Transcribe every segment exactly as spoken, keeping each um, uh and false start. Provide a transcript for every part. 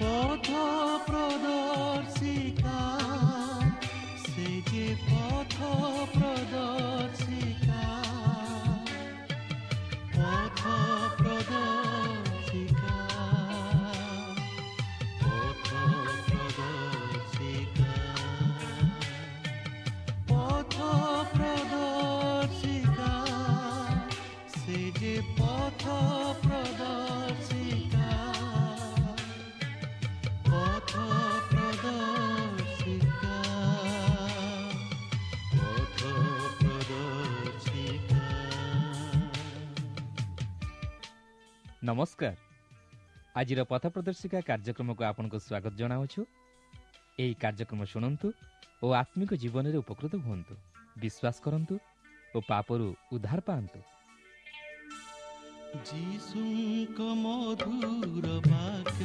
ପଥ ପ୍ରଦର୍ଶିକା, ସେ ଯେ ପଥ ପ୍ରଦର୍ଶିକା, ପଥ ପ୍ରଦର୍ଶିକା, ପଥ ପ୍ରଦର୍ଶିକା, ପଥ ପ୍ରଦର୍ଶିକା, ସେ ଯେ ପଥ ପ୍ରଦର୍ଶିକା, ପଥ ପ୍ରଦର୍ଶିକା, ପଥ ପ୍ରଦର୍ଶିକା। ନମସ୍କାର। ଆଜିର ପଥ ପ୍ରଦର୍ଶିକା କାର୍ଯ୍ୟକ୍ରମକୁ ଆପଣଙ୍କୁ ସ୍ୱାଗତ ଜଣାଉଛୁ। ଏହି କାର୍ଯ୍ୟକ୍ରମ ଶୁଣନ୍ତୁ ଓ ଆତ୍ମିକ ଜୀବନରେ ଉପକୃତ ହୁଅନ୍ତୁ, ବିଶ୍ୱାସ କରନ୍ତୁ ଓ ପାପରୁ ଉଦ୍ଧାର ପାଆନ୍ତୁ। ଯୀଶୁଙ୍କ ମଧୁର ବାକ୍ୟ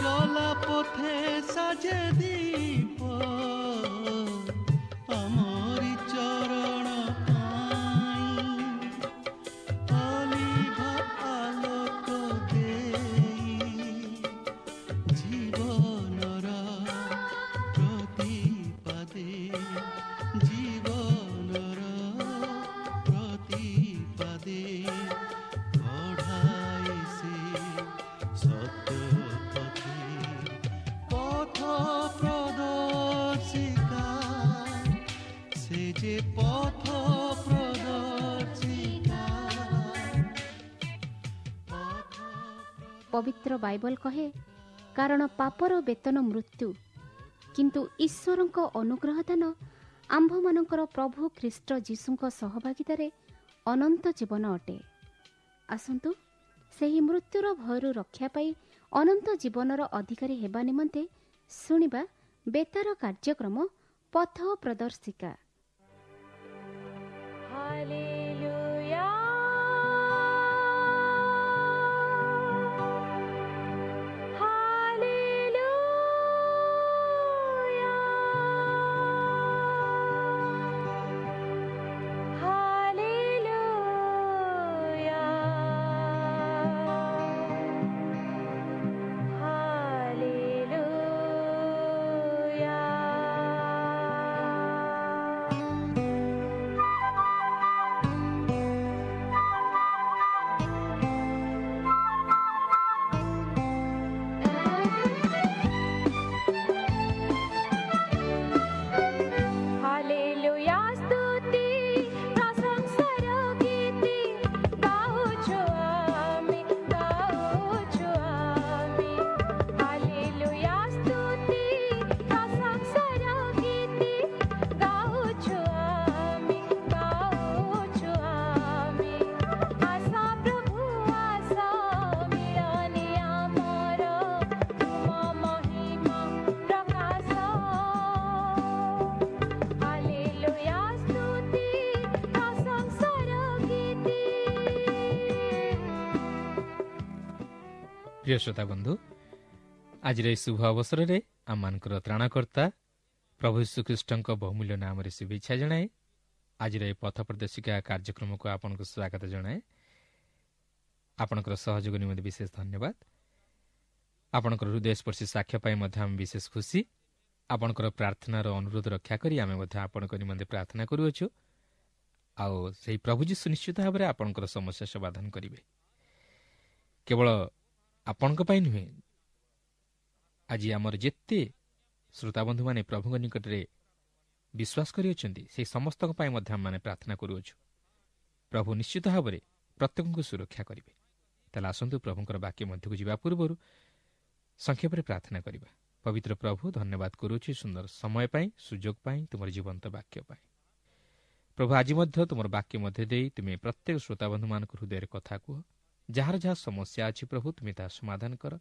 ଚଲା ପଥେ ସାଜେ ଦୀପ, ଆମରି ଚରଣ ପାଇଁ ଅଲିଭା ଆଲୋକ ଦେଇ, ଜୀବନର ପ୍ରତିପାଦେ, ଜୀବନର ପ୍ରତିପାଦେ କଢ଼ାଏ ସେ ସତ୍ୟ ପଥେ। ପଥ ପ୍ରଦର୍ଶିକା, ସେ ଯେ ପଥ ପ୍ରଦର୍ଶିକା, ପଥ ପବିତ୍ର ବାଇବଲ କହେ, କାରଣ ପାପର ବେତନ ମୃତ୍ୟୁ, କିନ୍ତୁ ଈଶ୍ୱରଙ୍କ ଅନୁଗ୍ରହ ଦାନ ଆମ୍ଭମାନଙ୍କର ପ୍ରଭୁ ଖ୍ରୀଷ୍ଟ ଯୀଶୁଙ୍କ ସହଭାଗିତାରେ ଅନନ୍ତ ଜୀବନ ଅଟେ। ଆସନ୍ତୁ ସେହି ମୃତ୍ୟୁର ଭୟରୁ ରକ୍ଷା ପାଇ ଅନନ୍ତ ଜୀବନର ଅଧିକାରୀ ହେବା ନିମନ୍ତେ ଶୁଣିବା ବେତାର କାର୍ଯ୍ୟକ୍ରମ ପଥ ପ୍ରଦର୍ଶିକା। Hallelujah. Hallelujah. Hallelujah. Hallelujah. Hallelujah ସ୍ତୁତି ପ୍ରଶଂସାର ଗୀତି ଗାଉଛୁ ଆମେ, ଗାଉଛୁ ଆମେ। ହାଲେଲୁୟା ସ୍ତୁତି ପ୍ରଶଂସାର ଗୀତି ଗାଉଛୁ ଆମେ, ଗାଉଛୁ ଆମେ। ଆସ ପ୍ରଭୁ ଆସ ମିଳନେ ଆମର ତୁମ ମହିମା ପ୍ରକାଶ। ହାଲେଲୁୟା ସ୍ତୁତି ପ୍ରଶଂସାର ଗୀତି। ପ୍ରିୟ ଶ୍ରୋତା ବନ୍ଧୁ, ଆଜିର ଏହି ଶୁଭ ଅବସରରେ ଆମମାନଙ୍କର ତ୍ରାଣକର୍ତ୍ତା ପ୍ରଭୁ ଯୀଶୁଖ୍ରୀଷ୍ଟଙ୍କ ବହୁମୂଲ୍ୟ ନାମରେ ଶୁଭେଚ୍ଛା ଜଣାଏ ଆଜିର ଏହି ପଥ ପ୍ରଦର୍ଶିକା କାର୍ଯ୍ୟକ୍ରମକୁ ଆପଣଙ୍କୁ ସ୍ୱାଗତ ଜଣାଏ। ଆପଣଙ୍କର ସହଯୋଗ ନିମନ୍ତେ ବିଶେଷ ଧନ୍ୟବାଦ। ଆପଣଙ୍କର ହୃଦୟସ୍ପର୍ଶୀ ସାକ୍ଷ୍ୟ ପାଇଁ ମଧ୍ୟ ଆମେ ବିଶେଷ ଖୁସି। ଆପଣଙ୍କର ପ୍ରାର୍ଥନାର ଅନୁରୋଧ ରକ୍ଷା କରି ଆମେ ମଧ୍ୟ ଆପଣଙ୍କ ନିମନ୍ତେ ପ୍ରାର୍ଥନା କରୁଅଛୁ, ଆଉ ସେହି ପ୍ରଭୁ ଯୀଶୁ ନିଶ୍ଚିତ ଭାବରେ ଆପଣଙ୍କର ସମସ୍ୟା ସମାଧାନ କରିବେ। କେବଳ ଆପଣଙ୍କ ପାଇଁ ନୁହେଁ, ଆଜି ଆମର ଯେତେ ଶ୍ରୋତାବନ୍ଧୁମାନେ ପ୍ରଭୁଙ୍କ ନିକଟରେ ବିଶ୍ୱାସ କରିଅଛନ୍ତି, ସେହି ସମସ୍ତଙ୍କ ପାଇଁ ମଧ୍ୟ ଆମେମାନେ ପ୍ରାର୍ଥନା କରୁଅଛୁ। ପ୍ରଭୁ ନିଶ୍ଚିତ ଭାବରେ ପ୍ରତ୍ୟେକଙ୍କୁ ସୁରକ୍ଷା କରିବେ। ତାହେଲେ ଆସନ୍ତୁ ପ୍ରଭୁଙ୍କର ବାକ୍ୟ ମଧ୍ୟକୁ ଯିବା ପୂର୍ବରୁ ସଂକ୍ଷେପରେ ପ୍ରାର୍ଥନା କରିବା। ପବିତ୍ର ପ୍ରଭୁ, ଧନ୍ୟବାଦ କରୁଅଛୁ ସୁନ୍ଦର ସମୟ ପାଇଁ, ସୁଯୋଗ ପାଇଁ, ତୁମର ଜୀବନ୍ତ ବାକ୍ୟ ପାଇଁ। ପ୍ରଭୁ, ଆଜି ମଧ୍ୟ ତୁମର ବାକ୍ୟ ମଧ୍ୟ ଦେଇ ତୁମେ ପ୍ରତ୍ୟେକ ଶ୍ରୋତାବନ୍ଧୁମାନଙ୍କ ହୃଦୟରେ କଥା କୁହ। ଯାହାର ଯାହା ସମସ୍ୟା ଅଛି ପ୍ରଭୁ, ତୁମେ ତାହା ସମାଧାନ କର।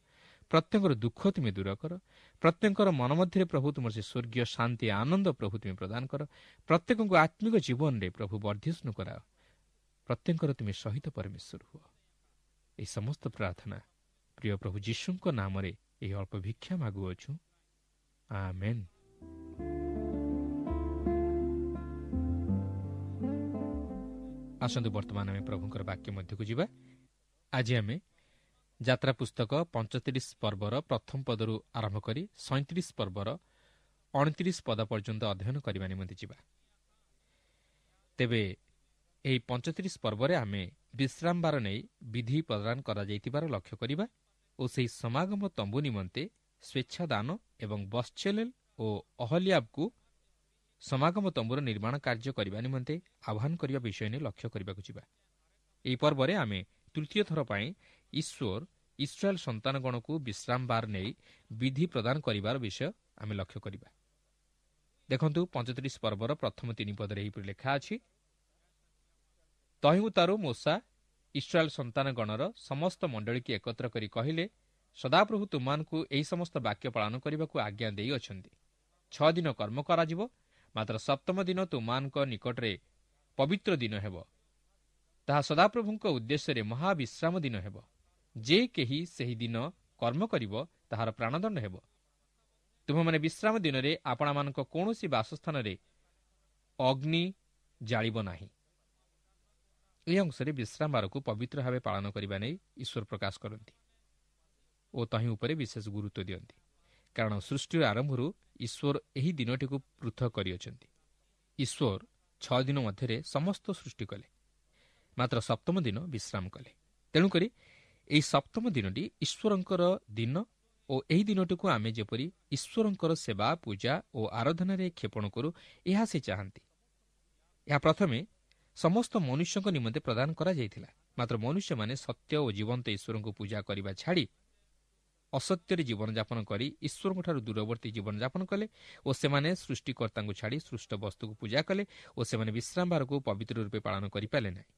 ପ୍ରତ୍ୟେକଙ୍କର ଦୁଃଖ ତୁମେ ଦୂର କର। ପ୍ରତ୍ୟେକଙ୍କର ମନ ମଧ୍ୟରେ ପ୍ରଭୁ ତୁମର ସେ ସ୍ୱର୍ଗୀୟ ଶାନ୍ତି ଆନନ୍ଦ ପ୍ରଭୁ ତୁମେ ପ୍ରଦାନ କର। ପ୍ରତ୍ୟେକଙ୍କୁ ଆତ୍ମିକ ଜୀବନରେ ପ୍ରଭୁ ବର୍ଦ୍ଧିଷ୍ଣୁ କରାଅ। ପ୍ରତ୍ୟେକଙ୍କର ତୁମେ ସହିତ ପରମେଶ୍ୱର ହୁଅ। ଏହି ସମସ୍ତ ପ୍ରାର୍ଥନା ପ୍ରିୟ ପ୍ରଭୁ ଯୀଶୁଙ୍କ ନାମରେ ଏହି ଅଳ୍ପ ଭିକ୍ଷା ମାଗୁଅଛୁ, ଆମେନ୍। ଆସନ୍ତୁ ବର୍ତ୍ତମାନ ଆମେ ପ୍ରଭୁଙ୍କର ବାକ୍ୟ ମଧ୍ୟକୁ ଯିବା। ଆଜି ଆମେ ଯାତ୍ରା ପୁସ୍ତକ ପଞ୍ଚତିରିଶ ପର୍ବର ପ୍ରଥମ ପଦରୁ ଆରମ୍ଭ କରି ସଇଁତିରିଶ ପର୍ବର ଅଣତିରିଶ ପଦ ପର୍ଯ୍ୟନ୍ତ ଅଧ୍ୟୟନ କରିବା ନିମନ୍ତେ ଯିବା। ତେବେ ଏହି ପଞ୍ଚତିରିଶ ପର୍ବରେ ଆମେ ବିଶ୍ରାମବାର ନେଇ ବିଧି ପ୍ରଦାନ କରାଯାଇଥିବାର ଲକ୍ଷ୍ୟ କରିବା ଓ ସେହି ସମାଗମ ତମ୍ବୁ ନିମନ୍ତେ ସ୍ୱେଚ୍ଛାଦାନ ଏବଂ ବତ୍ସଲେଲ ଓ ଅହଲିଆବକୁ ସମାଗମ ତମ୍ବୁର ନିର୍ମାଣ କାର୍ଯ୍ୟ କରିବା ନିମନ୍ତେ ଆହ୍ୱାନ କରିବା ବିଷୟ ନେଇ ଲକ୍ଷ୍ୟ କରିବାକୁ ଯିବା। ଏହି ପର୍ବରେ ଆମେ ତୃତୀୟ ଥର ପାଇଁ ଈଶ୍ୱର ଇସ୍ରାଏଲ ସନ୍ତାନଗଣକୁ ବିଶ୍ରାମବାର ନେଇ ବିଧି ପ୍ରଦାନ କରିବାର ବିଷୟ ଆମେ ଲକ୍ଷ୍ୟ କରିବା। ଦେଖନ୍ତୁ, ପଞ୍ଚତିରିଶ ପର୍ବର ପ୍ରଥମ ତିନି ପଦରେ ଏହିପରି ଲେଖା ଅଛି, ତହିଁ ଉତ୍ତାରୁ ମୋଶା ଇସ୍ରାଏଲ ସନ୍ତାନଗଣର ସମସ୍ତ ମଣ୍ଡଳୀକୁ ଏକତ୍ର କରି କହିଲେ, ସଦାପ୍ରଭୁ ତୁମମାନଙ୍କୁ ଏହି ସମସ୍ତ ବାକ୍ୟ ପାଳନ କରିବାକୁ ଆଜ୍ଞା ଦେଇଅଛନ୍ତି। ଛଅ ଦିନ କର୍ମ କରାଯିବ, ମାତ୍ର ସପ୍ତମ ଦିନ ତୁମମାନଙ୍କ ନିକଟରେ ପବିତ୍ର ଦିନ ହେବ। ତାହା ସଦାପ୍ରଭୁଙ୍କ ଉଦ୍ଦେଶ୍ୟରେ ମହାବିଶ୍ରାମ ଦିନ ହେବ। ଯେ କେହି ସେହି ଦିନ କର୍ମ କରିବ ତାହାର ପ୍ରାଣଦଣ୍ଡ ହେବ। ତୁମେମାନେ ବିଶ୍ରାମ ଦିନରେ ଆପଣମାନଙ୍କ କୌଣସି ବାସସ୍ଥାନରେ ଅଗ୍ନି ଜାଳିବ ନାହିଁ। ଏହି ଅଂଶରେ ବିଶ୍ରାମବାରକୁ ପବିତ୍ର ଭାବେ ପାଳନ କରିବା ନେଇ ଈଶ୍ୱର ପ୍ରକାଶ କରନ୍ତି ଓ ତହିଁ ଉପରେ ବିଶେଷ ଗୁରୁତ୍ୱ ଦିଅନ୍ତି, କାରଣ ସୃଷ୍ଟିର ଆରମ୍ଭରୁ ଈଶ୍ୱର ଏହି ଦିନଟିକୁ ପୃଥକ କରିଅଛନ୍ତି। ଈଶ୍ୱର ଛଅ ଦିନ ମଧ୍ୟରେ ସମସ୍ତ ସୃଷ୍ଟି କଲେ, ମାତ୍ର ସପ୍ତମ ଦିନ ବିଶ୍ରାମ କଲେ। ତେଣୁକରି ଏହି ସପ୍ତମ ଦିନଟି ଈଶ୍ୱରଙ୍କର ଦିନ ଓ ଏହି ଦିନଟିକୁ ଆମେ ଯେପରି ଈଶ୍ୱରଙ୍କର ସେବା, ପୂଜା ଓ ଆରାଧନାରେ କ୍ଷେପଣ କରୁ, ଏହା ସେ ଚାହାନ୍ତି। ଏହା ପ୍ରଥମେ ସମସ୍ତ ମନୁଷ୍ୟଙ୍କ ନିମନ୍ତେ ପ୍ରଦାନ କରାଯାଇଥିଲା, ମାତ୍ର ମନୁଷ୍ୟମାନେ ସତ୍ୟ ଓ ଜୀବନ୍ତ ଈଶ୍ୱରଙ୍କୁ ପୂଜା କରିବା ଛାଡ଼ି ଅସତ୍ୟରେ ଜୀବନଯାପନ କରି ଈଶ୍ୱରଙ୍କଠାରୁ ଦୂରବର୍ତ୍ତୀ ଜୀବନଯାପନ କଲେ ଓ ସେମାନେ ସୃଷ୍ଟିକର୍ତ୍ତାଙ୍କୁ ଛାଡ଼ି ସୃଷ୍ଟ ବସ୍ତୁକୁ ପୂଜା କଲେ ଓ ସେମାନେ ବିଶ୍ରାମବାରକୁ ପବିତ୍ର ରୂପେ ପାଳନ କରିପାରିଲେ ନାହିଁ।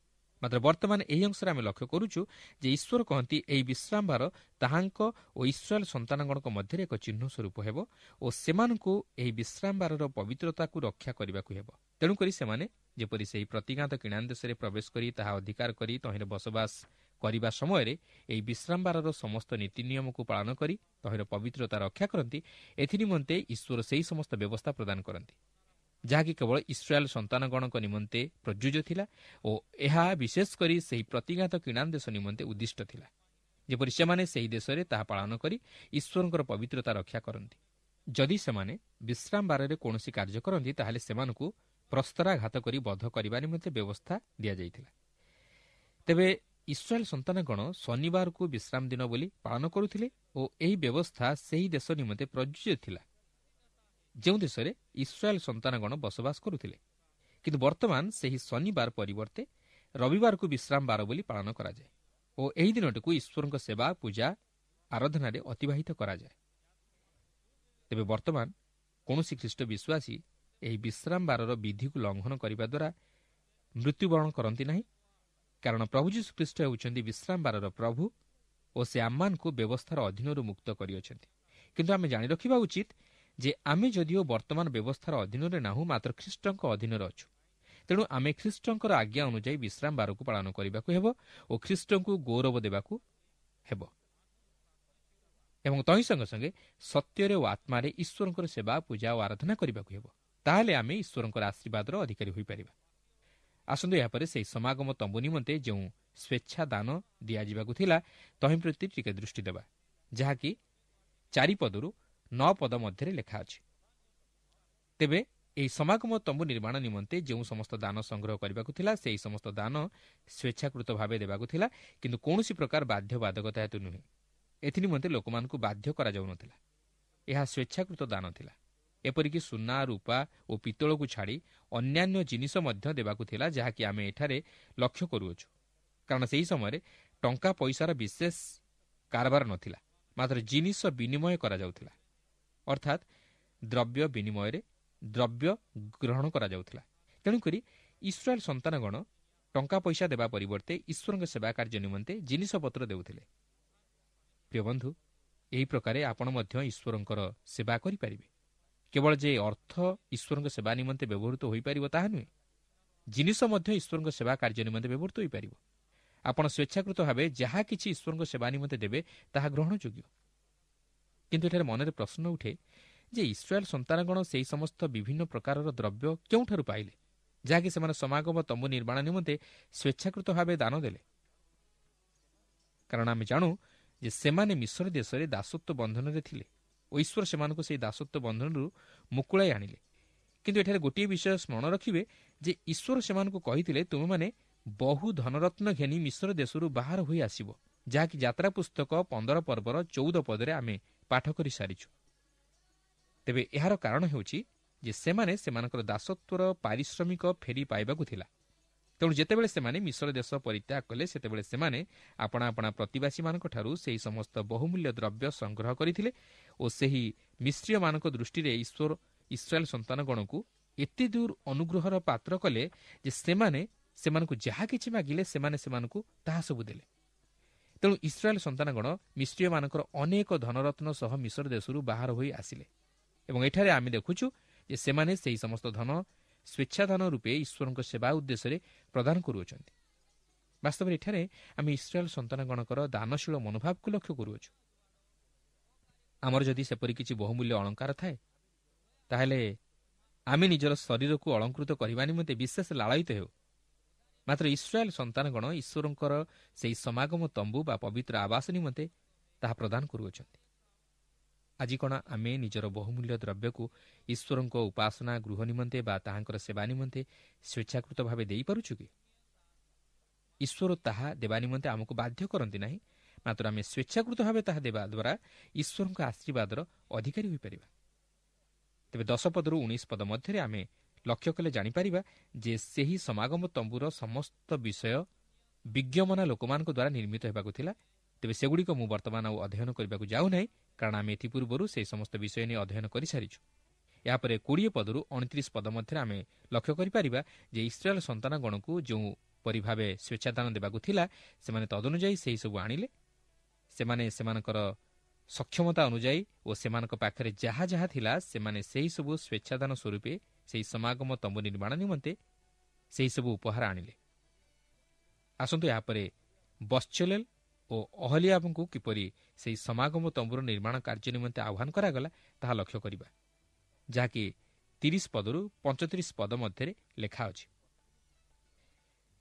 ମାତ୍ର ବର୍ତ୍ତମାନ ଏହି ଅଂଶରେ ଆମେ ଲକ୍ଷ୍ୟ କରୁଛୁ ଯେ ଈଶ୍ୱର କହନ୍ତି ଏହି ବିଶ୍ରାମବାର ତାହାଙ୍କ ଓ ଇସ୍ରାଏଲ ସନ୍ତାନଗଣଙ୍କ ମଧ୍ୟରେ ଏକ ଚିହ୍ନ ସ୍ୱରୂପ ହେବ ଓ ସେମାନଙ୍କୁ ଏହି ବିଶ୍ରାମବାରର ପବିତ୍ରତାକୁ ରକ୍ଷା କରିବାକୁ ହେବ। ତେଣୁକରି ସେମାନେ ଯେପରି ସେହି ପ୍ରତିଜ୍ଞାତ କିଣାନ ଦେଶରେ ପ୍ରବେଶ କରି ତାହା ଅଧିକାର କରି ତହିଁରେ ବସବାସ କରିବା ସମୟରେ ଏହି ବିଶ୍ରାମବାରର ସମସ୍ତ ନୀତି ନିୟମକୁ ପାଳନ କରି ତହିଁର ପବିତ୍ରତା ରକ୍ଷା କରନ୍ତି, ଏଥିନିମନ୍ତେ ଈଶ୍ୱର ସେହି ସମସ୍ତ ବ୍ୟବସ୍ଥା ପ୍ରଦାନ କରନ୍ତି, ଯାହାକି କେବଳ ଇସ୍ରାଏଲ ସନ୍ତାନଗଣଙ୍କ ନିମନ୍ତେ ପ୍ରଯୁଜ୍ୟ ଥିଲା ଓ ଏହା ବିଶେଷ କରି ସେହି ପ୍ରତିଜ୍ଞାତ କିଣାନ ଦେଶ ନିମନ୍ତେ ଉଦ୍ଦିଷ୍ଟ ଥିଲା, ଯେପରି ସେମାନେ ସେହି ଦେଶରେ ତାହା ପାଳନ କରି ଈଶ୍ୱରଙ୍କର ପବିତ୍ରତା ରକ୍ଷା କରନ୍ତି। ଯଦି ସେମାନେ ବିଶ୍ରାମବାରରେ କୌଣସି କାର୍ଯ୍ୟ କରନ୍ତି, ତାହେଲେ ସେମାନଙ୍କୁ ପ୍ରସ୍ତରାଘାତ କରି ବଧ କରିବା ନିମନ୍ତେ ବ୍ୟବସ୍ଥା ଦିଆଯାଇଥିଲା। ତେବେ ଇସ୍ରାଏଲ ସନ୍ତାନଗଣ ଶନିବାରକୁ ବିଶ୍ରାମ ଦିନ ବୋଲି ପାଳନ କରୁଥିଲେ ଓ ଏହି ବ୍ୟବସ୍ଥା ସେହି ଦେଶ ନିମନ୍ତେ ପ୍ରଯୁଜ୍ୟ ଥିଲା ଯେଉଁ ଦେଶରେ ଇସ୍ରାଏଲ ସନ୍ତାନଗଣ ବସବାସ କରୁଥିଲେ। କିନ୍ତୁ ବର୍ତ୍ତମାନ ସେହି ଶନିବାର ପରିବର୍ତ୍ତେ ରବିବାରକୁ ବିଶ୍ରାମ ବାର ବୋଲି ପାଳନ କରାଯାଏ ଓ ଏହି ଦିନଟିକୁ ଈଶ୍ୱରଙ୍କ ସେବା, ପୂଜା, ଆରାଧନାରେ ଅତିବାହିତ କରାଯାଏ। ତେବେ ବର୍ତ୍ତମାନ କୌଣସି ଖ୍ରୀଷ୍ଟ ବିଶ୍ୱାସୀ ଏହି ବିଶ୍ରାମ ବାରର ବିଧିକୁ ଲଙ୍ଘନ କରିବା ଦ୍ୱାରା ମୃତ୍ୟୁବରଣ କରନ୍ତି ନାହିଁ, କାରଣ ପ୍ରଭୁ ଯୀଶୁ ଖ୍ରୀଷ୍ଟ ହେଉଛନ୍ତି ବିଶ୍ରାମ ବାରର ପ୍ରଭୁ ଓ ସେ ଆମମାନଙ୍କୁ ବ୍ୟବସ୍ଥାର ଅଧୀନରୁ ମୁକ୍ତ କରିଅଛନ୍ତି। କିନ୍ତୁ ଆମେ ଜାଣି ରଖିବା ଉଚିତ ଯେ ଆମେ ଯଦିଓ ବର୍ତ୍ତମାନ ବ୍ୟବସ୍ଥାର ଅଧୀନରେ ନାହୁଁ, ମାତ୍ର ଖ୍ରୀଷ୍ଟଙ୍କ ଅଧୀନରେ ଅଛୁ। ତେଣୁ ଆମେ ଖ୍ରୀଷ୍ଟଙ୍କର ଆଜ୍ଞା ଅନୁଯାୟୀ ବିଶ୍ରାମ ବାରକୁ ପାଳନ କରିବାକୁ ହେବ ଓ ଖ୍ରୀଷ୍ଟଙ୍କୁ ଗୌରବ ଦେବାକୁ ହେବ ଏବଂ ତହିଁ ସଙ୍ଗେ ସଙ୍ଗେ ସତ୍ୟରେ ଓ ଆତ୍ମାରେ ଈଶ୍ୱରଙ୍କର ସେବା, ପୂଜା ଓ ଆରାଧନା କରିବାକୁ ହେବ। ତାହେଲେ ଆମେ ଈଶ୍ୱରଙ୍କର ଆଶୀର୍ବାଦର ଅଧିକାରୀ ହୋଇପାରିବା। ଆସନ୍ତୁ ଏହାପରେ ସେହି ସମାଗମ ତମ୍ବୁ ନିମନ୍ତେ ଯେଉଁ ସ୍ୱେଚ୍ଛା ଦାନ ଦିଆଯିବାକୁ ଥିଲା ତହିଁ ପ୍ରତି ଟିକେ ଦୃଷ୍ଟି ଦେବା, ଯାହାକି ଚାରିପଦରୁ ନଅ ପଦ ମଧ୍ୟରେ ଲେଖା ଅଛି। ତେବେ ଏହି ସମାଗମ ତମ୍ବୁ ନିର୍ମାଣ ନିମନ୍ତେ ଯେଉଁ ସମସ୍ତ ଦାନ ସଂଗ୍ରହ କରିବାକୁ ଥିଲା, ସେହି ସମସ୍ତ ଦାନ ସ୍ୱେଚ୍ଛାକୃତ ଭାବେ ଦେବାକୁ ଥିଲା, କିନ୍ତୁ କୌଣସି ପ୍ରକାର ବାଧ୍ୟବାଧକତା ହେତୁ ନୁହେଁ। ଏଥିନିମନ୍ତେ ଲୋକମାନଙ୍କୁ ବାଧ୍ୟ କରାଯାଉନଥିଲା, ଏହା ସ୍ୱେଚ୍ଛାକୃତ ଦାନ ଥିଲା। ଏପରିକି ସୁନା, ରୂପା ଓ ପିତ୍ତଳକୁ ଛାଡ଼ି ଅନ୍ୟାନ୍ୟ ଜିନିଷ ମଧ୍ୟ ଦେବାକୁ ଥିଲା, ଯାହାକି ଆମେ ଏଠାରେ ଲକ୍ଷ୍ୟ କରୁଅଛୁ, କାରଣ ସେହି ସମୟରେ ଟଙ୍କା ପଇସାର ବିଶେଷ କାରବାର ନଥିଲା, ମାତ୍ର ଜିନିଷ ବିନିମୟ କରାଯାଉଥିଲା, ଅର୍ଥାତ୍ ଦ୍ରବ୍ୟ ବିନିମୟରେ ଦ୍ରବ୍ୟ ଗ୍ରହଣ କରାଯାଉଥିଲା। ତେଣୁକରି ଇସ୍ରାଏଲ ସନ୍ତାନଗଣ ଟଙ୍କା ପଇସା ଦେବା ପରିବର୍ତ୍ତେ ଈଶ୍ୱରଙ୍କ ସେବା କାର୍ଯ୍ୟ ନିମନ୍ତେ ଜିନିଷପତ୍ର ଦେଉଥିଲେ। ପ୍ରିୟ ବନ୍ଧୁ, ଏହି ପ୍ରକାରେ ଆପଣ ମଧ୍ୟ ଈଶ୍ୱରଙ୍କର ସେବା କରିପାରିବେ। କେବଳ ଯେ ଅର୍ଥ ଈଶ୍ୱରଙ୍କ ସେବା ନିମନ୍ତେ ବ୍ୟବହୃତ ହୋଇପାରିବ ତାହା ନୁହେଁ, ଜିନିଷ ମଧ୍ୟ ଈଶ୍ୱରଙ୍କ ସେବା କାର୍ଯ୍ୟ ନିମନ୍ତେ ବ୍ୟବହୃତ ହୋଇପାରିବ। ଆପଣ ସ୍ୱେଚ୍ଛାକୃତ ଭାବେ ଯାହା କିଛି ଈଶ୍ୱରଙ୍କ ସେବା ନିମନ୍ତେ ଦେବେ ତାହା ଗ୍ରହଣଯୋଗ୍ୟ। କିନ୍ତୁ ଏଠାରେ ମନରେ ପ୍ରଶ୍ନ ଉଠେ ଯେ ଇସ୍ରାଏଲ ସନ୍ତାନଗଣ ସେହି ସମସ୍ତ ବିଭିନ୍ନ ପ୍ରକାରର ଦ୍ରବ୍ୟ କେଉଁଠାରୁ ପାଇଲେ, ଯାହାକି ସେମାନେ ସମାଗମ ତମ୍ବୁ ନିର୍ମାଣ ନିମନ୍ତେ ସ୍ୱେଚ୍ଛାକୃତ ଭାବେ ଦାନ ଦେଲେ? କାରଣ ଆମେ ଜାଣୁ ଯେ ସେମାନେ ମିଶର ଦେଶରେ ଦାସତ୍ୱ ବନ୍ଧନରେ ଥିଲେ ଓ ଈଶ୍ୱର ସେମାନଙ୍କୁ ସେହି ଦାସତ୍ୱ ବନ୍ଧନରୁ ମୁକୁଳାଇ ଆଣିଲେ। କିନ୍ତୁ ଏଠାରେ ଗୋଟିଏ ବିଷୟ ସ୍ମରଣ ରଖିବେ ଯେ ଈଶ୍ୱର ସେମାନଙ୍କୁ କହିଥିଲେ, ତୁମେମାନେ ବହୁ ଧନରତ୍ନ ଘେନି ମିଶର ଦେଶରୁ ବାହାର ହୋଇ ଆସିବ, ଯାହାକି ଯାତ୍ରା ପୁସ୍ତକ ପନ୍ଦର ପର୍ବର ଚଉଦ ପଦରେ ଆମେ ପାଠ କରିସାରିଛୁ। ତେବେ ଏହାର କାରଣ ହେଉଛି ଯେ ସେମାନେ ସେମାନଙ୍କର ଦାସତ୍ୱର ପାରିଶ୍ରମିକ ଫେରି ପାଇବାକୁ ଥିଲା। ତେଣୁ ଯେତେବେଳେ ସେମାନେ ମିଶର ଦେଶ ପରିତ୍ୟାଗ କଲେ, ସେତେବେଳେ ସେମାନେ ଆପଣା ଆପଣା ପ୍ରତିବାସୀମାନଙ୍କଠାରୁ ସେହି ସମସ୍ତ ବହୁମୂଲ୍ୟ ଦ୍ରବ୍ୟ ସଂଗ୍ରହ କରିଥିଲେ ଓ ସେହି ମିଶ୍ରୀୟମାନଙ୍କ ଦୃଷ୍ଟିରେ ଈଶ୍ୱର ଇସ୍ରାଏଲ ସନ୍ତାନଗଣକୁ ଏତେ ଦୂର ଅନୁଗ୍ରହର ପାତ୍ର କଲେ ଯେ ସେମାନେ ସେମାନଙ୍କୁ ଯାହା କିଛି ମାଗିଲେ ସେମାନେ ସେମାନଙ୍କୁ ତାହା ସବୁ ଦେଲେ। ତେଣୁ ଇସ୍ରାଏଲ ସନ୍ତାନଗଣ ମିଶ୍ରୀୟମାନଙ୍କର ଅନେକ ଧନରତ୍ନ ସହ ମିଶର ଦେଶରୁ ବାହାର ହୋଇ ଆସିଲେ ଏବଂ ଏଠାରେ ଆମେ ଦେଖୁଛୁ ଯେ ସେମାନେ ସେହି ସମସ୍ତ ଧନ ସ୍ୱେଚ୍ଛାଦାନ ରୂପେ ଈଶ୍ୱରଙ୍କ ସେବା ଉଦ୍ଦେଶ୍ୟରେ ପ୍ରଦାନ କରୁଅଛନ୍ତି। ବାସ୍ତବରେ ଏଠାରେ ଆମେ ଇସ୍ରାଏଲ ସନ୍ତାନଗଣଙ୍କର ଦାନଶୀଳ ମନୋଭାବକୁ ଲକ୍ଷ୍ୟ କରୁଅଛୁ। ଆମର ଯଦି ସେପରି କିଛି ବହୁମୂଲ୍ୟ ଅଳଙ୍କାର ଥାଏ, ତାହେଲେ ଆମେ ନିଜର ଶରୀରକୁ ଅଳଙ୍କୃତ କରିବା ନିମନ୍ତେ ବିଶେଷ ଲାଳାୟିତ ହେଉ। ମାତ୍ର ଇସ୍ରାଏଲ ସନ୍ତାନଗଣ ଈଶ୍ୱରଙ୍କର ସେହି ସମାଗମ ତମ୍ବୁ ବା ପବିତ୍ର ଆବାସ ନିମନ୍ତେ ତାହା ପ୍ରଦାନ କରୁଅଛନ୍ତି। ଆଜି କ'ଣ ଆମେ ନିଜର ବହୁମୂଲ୍ୟ ଦ୍ରବ୍ୟକୁ ଈଶ୍ୱରଙ୍କ ଉପାସନା ଗୃହ ନିମନ୍ତେ ବା ତାହାଙ୍କର ସେବା ନିମନ୍ତେ ସ୍ୱେଚ୍ଛାକୃତ ଭାବେ ଦେଇପାରୁଛୁ କି? ଈଶ୍ୱର ତାହା ଦେବା ନିମନ୍ତେ ଆମକୁ ବାଧ୍ୟ କରନ୍ତି ନାହିଁ, ମାତ୍ର ଆମେ ସ୍ୱେଚ୍ଛାକୃତ ଭାବେ ତାହା ଦେବା ଦ୍ୱାରା ଈଶ୍ୱରଙ୍କ ଆଶୀର୍ବାଦର ଅଧିକାରୀ ହୋଇପାରିବା। ତେବେ ଦଶ ପଦରୁ ଉଣେଇଶ ପଦ ମଧ୍ୟରେ ଆମେ ଲକ୍ଷ୍ୟ କଲେ ଜାଣିପାରିବା ଯେ ସେହି ସମାଗମ ତମ୍ବୁର ସମସ୍ତ ବିଷୟ ବିଜ୍ଞମନା ଲୋକମାନଙ୍କ ଦ୍ୱାରା ନିର୍ମିତ ହେବାକୁ ଥିଲା। ତେବେ ସେଗୁଡ଼ିକ ମୁଁ ବର୍ତ୍ତମାନ ଆଉ ଅଧ୍ୟୟନ କରିବାକୁ ଯାଉନାହିଁ, କାରଣ ଆମେ ଏଥିପୂର୍ବରୁ ସେହି ସମସ୍ତ ବିଷୟ ନେଇ ଅଧ୍ୟୟନ କରିସାରିଛୁ। ଏହାପରେ କୋଡ଼ିଏ ପଦରୁ ଅଣତିରିଶ ପଦ ମଧ୍ୟରେ ଆମେ ଲକ୍ଷ୍ୟ କରିପାରିବା ଯେ ଇସ୍ରାଏଲ ସନ୍ତାନଗଣକୁ ଯେଉଁପରି ଭାବେ ସ୍ୱେଚ୍ଛାଦାନ ଦେବାକୁ ଥିଲା, ସେମାନେ ତଦନୁଯାୟୀ ସେହିସବୁ ଆଣିଲେ। ସେମାନେ ସେମାନଙ୍କର ସକ୍ଷମତା ଅନୁଯାୟୀ ଓ ସେମାନଙ୍କ ପାଖରେ ଯାହା ଯାହା ଥିଲା, ସେମାନେ ସେହିସବୁ ସ୍ୱେଚ୍ଛାଦାନ ସ୍ୱରୂପେ ସେହି ସମାଗମ ତମ୍ବୁ ନିର୍ମାଣ ନିମନ୍ତେ ସେହିସବୁ ଉପହାର ଆଣିଲେ। ଆସନ୍ତୁ ଏହାପରେ ବତ୍ସଲେଲ ଓ ଅହଲିଆବଙ୍କୁ କିପରି ସେହି ସମାଗମ ତମ୍ବୁର ନିର୍ମାଣ କାର୍ଯ୍ୟ ନିମନ୍ତେ ଆହ୍ୱାନ କରାଗଲା ତାହା ଲକ୍ଷ୍ୟ କରିବା, ଯାହାକି ତିରିଶ ପଦରୁ ପଞ୍ଚତିରିଶ ପଦ ମଧ୍ୟରେ ଲେଖା ଅଛି।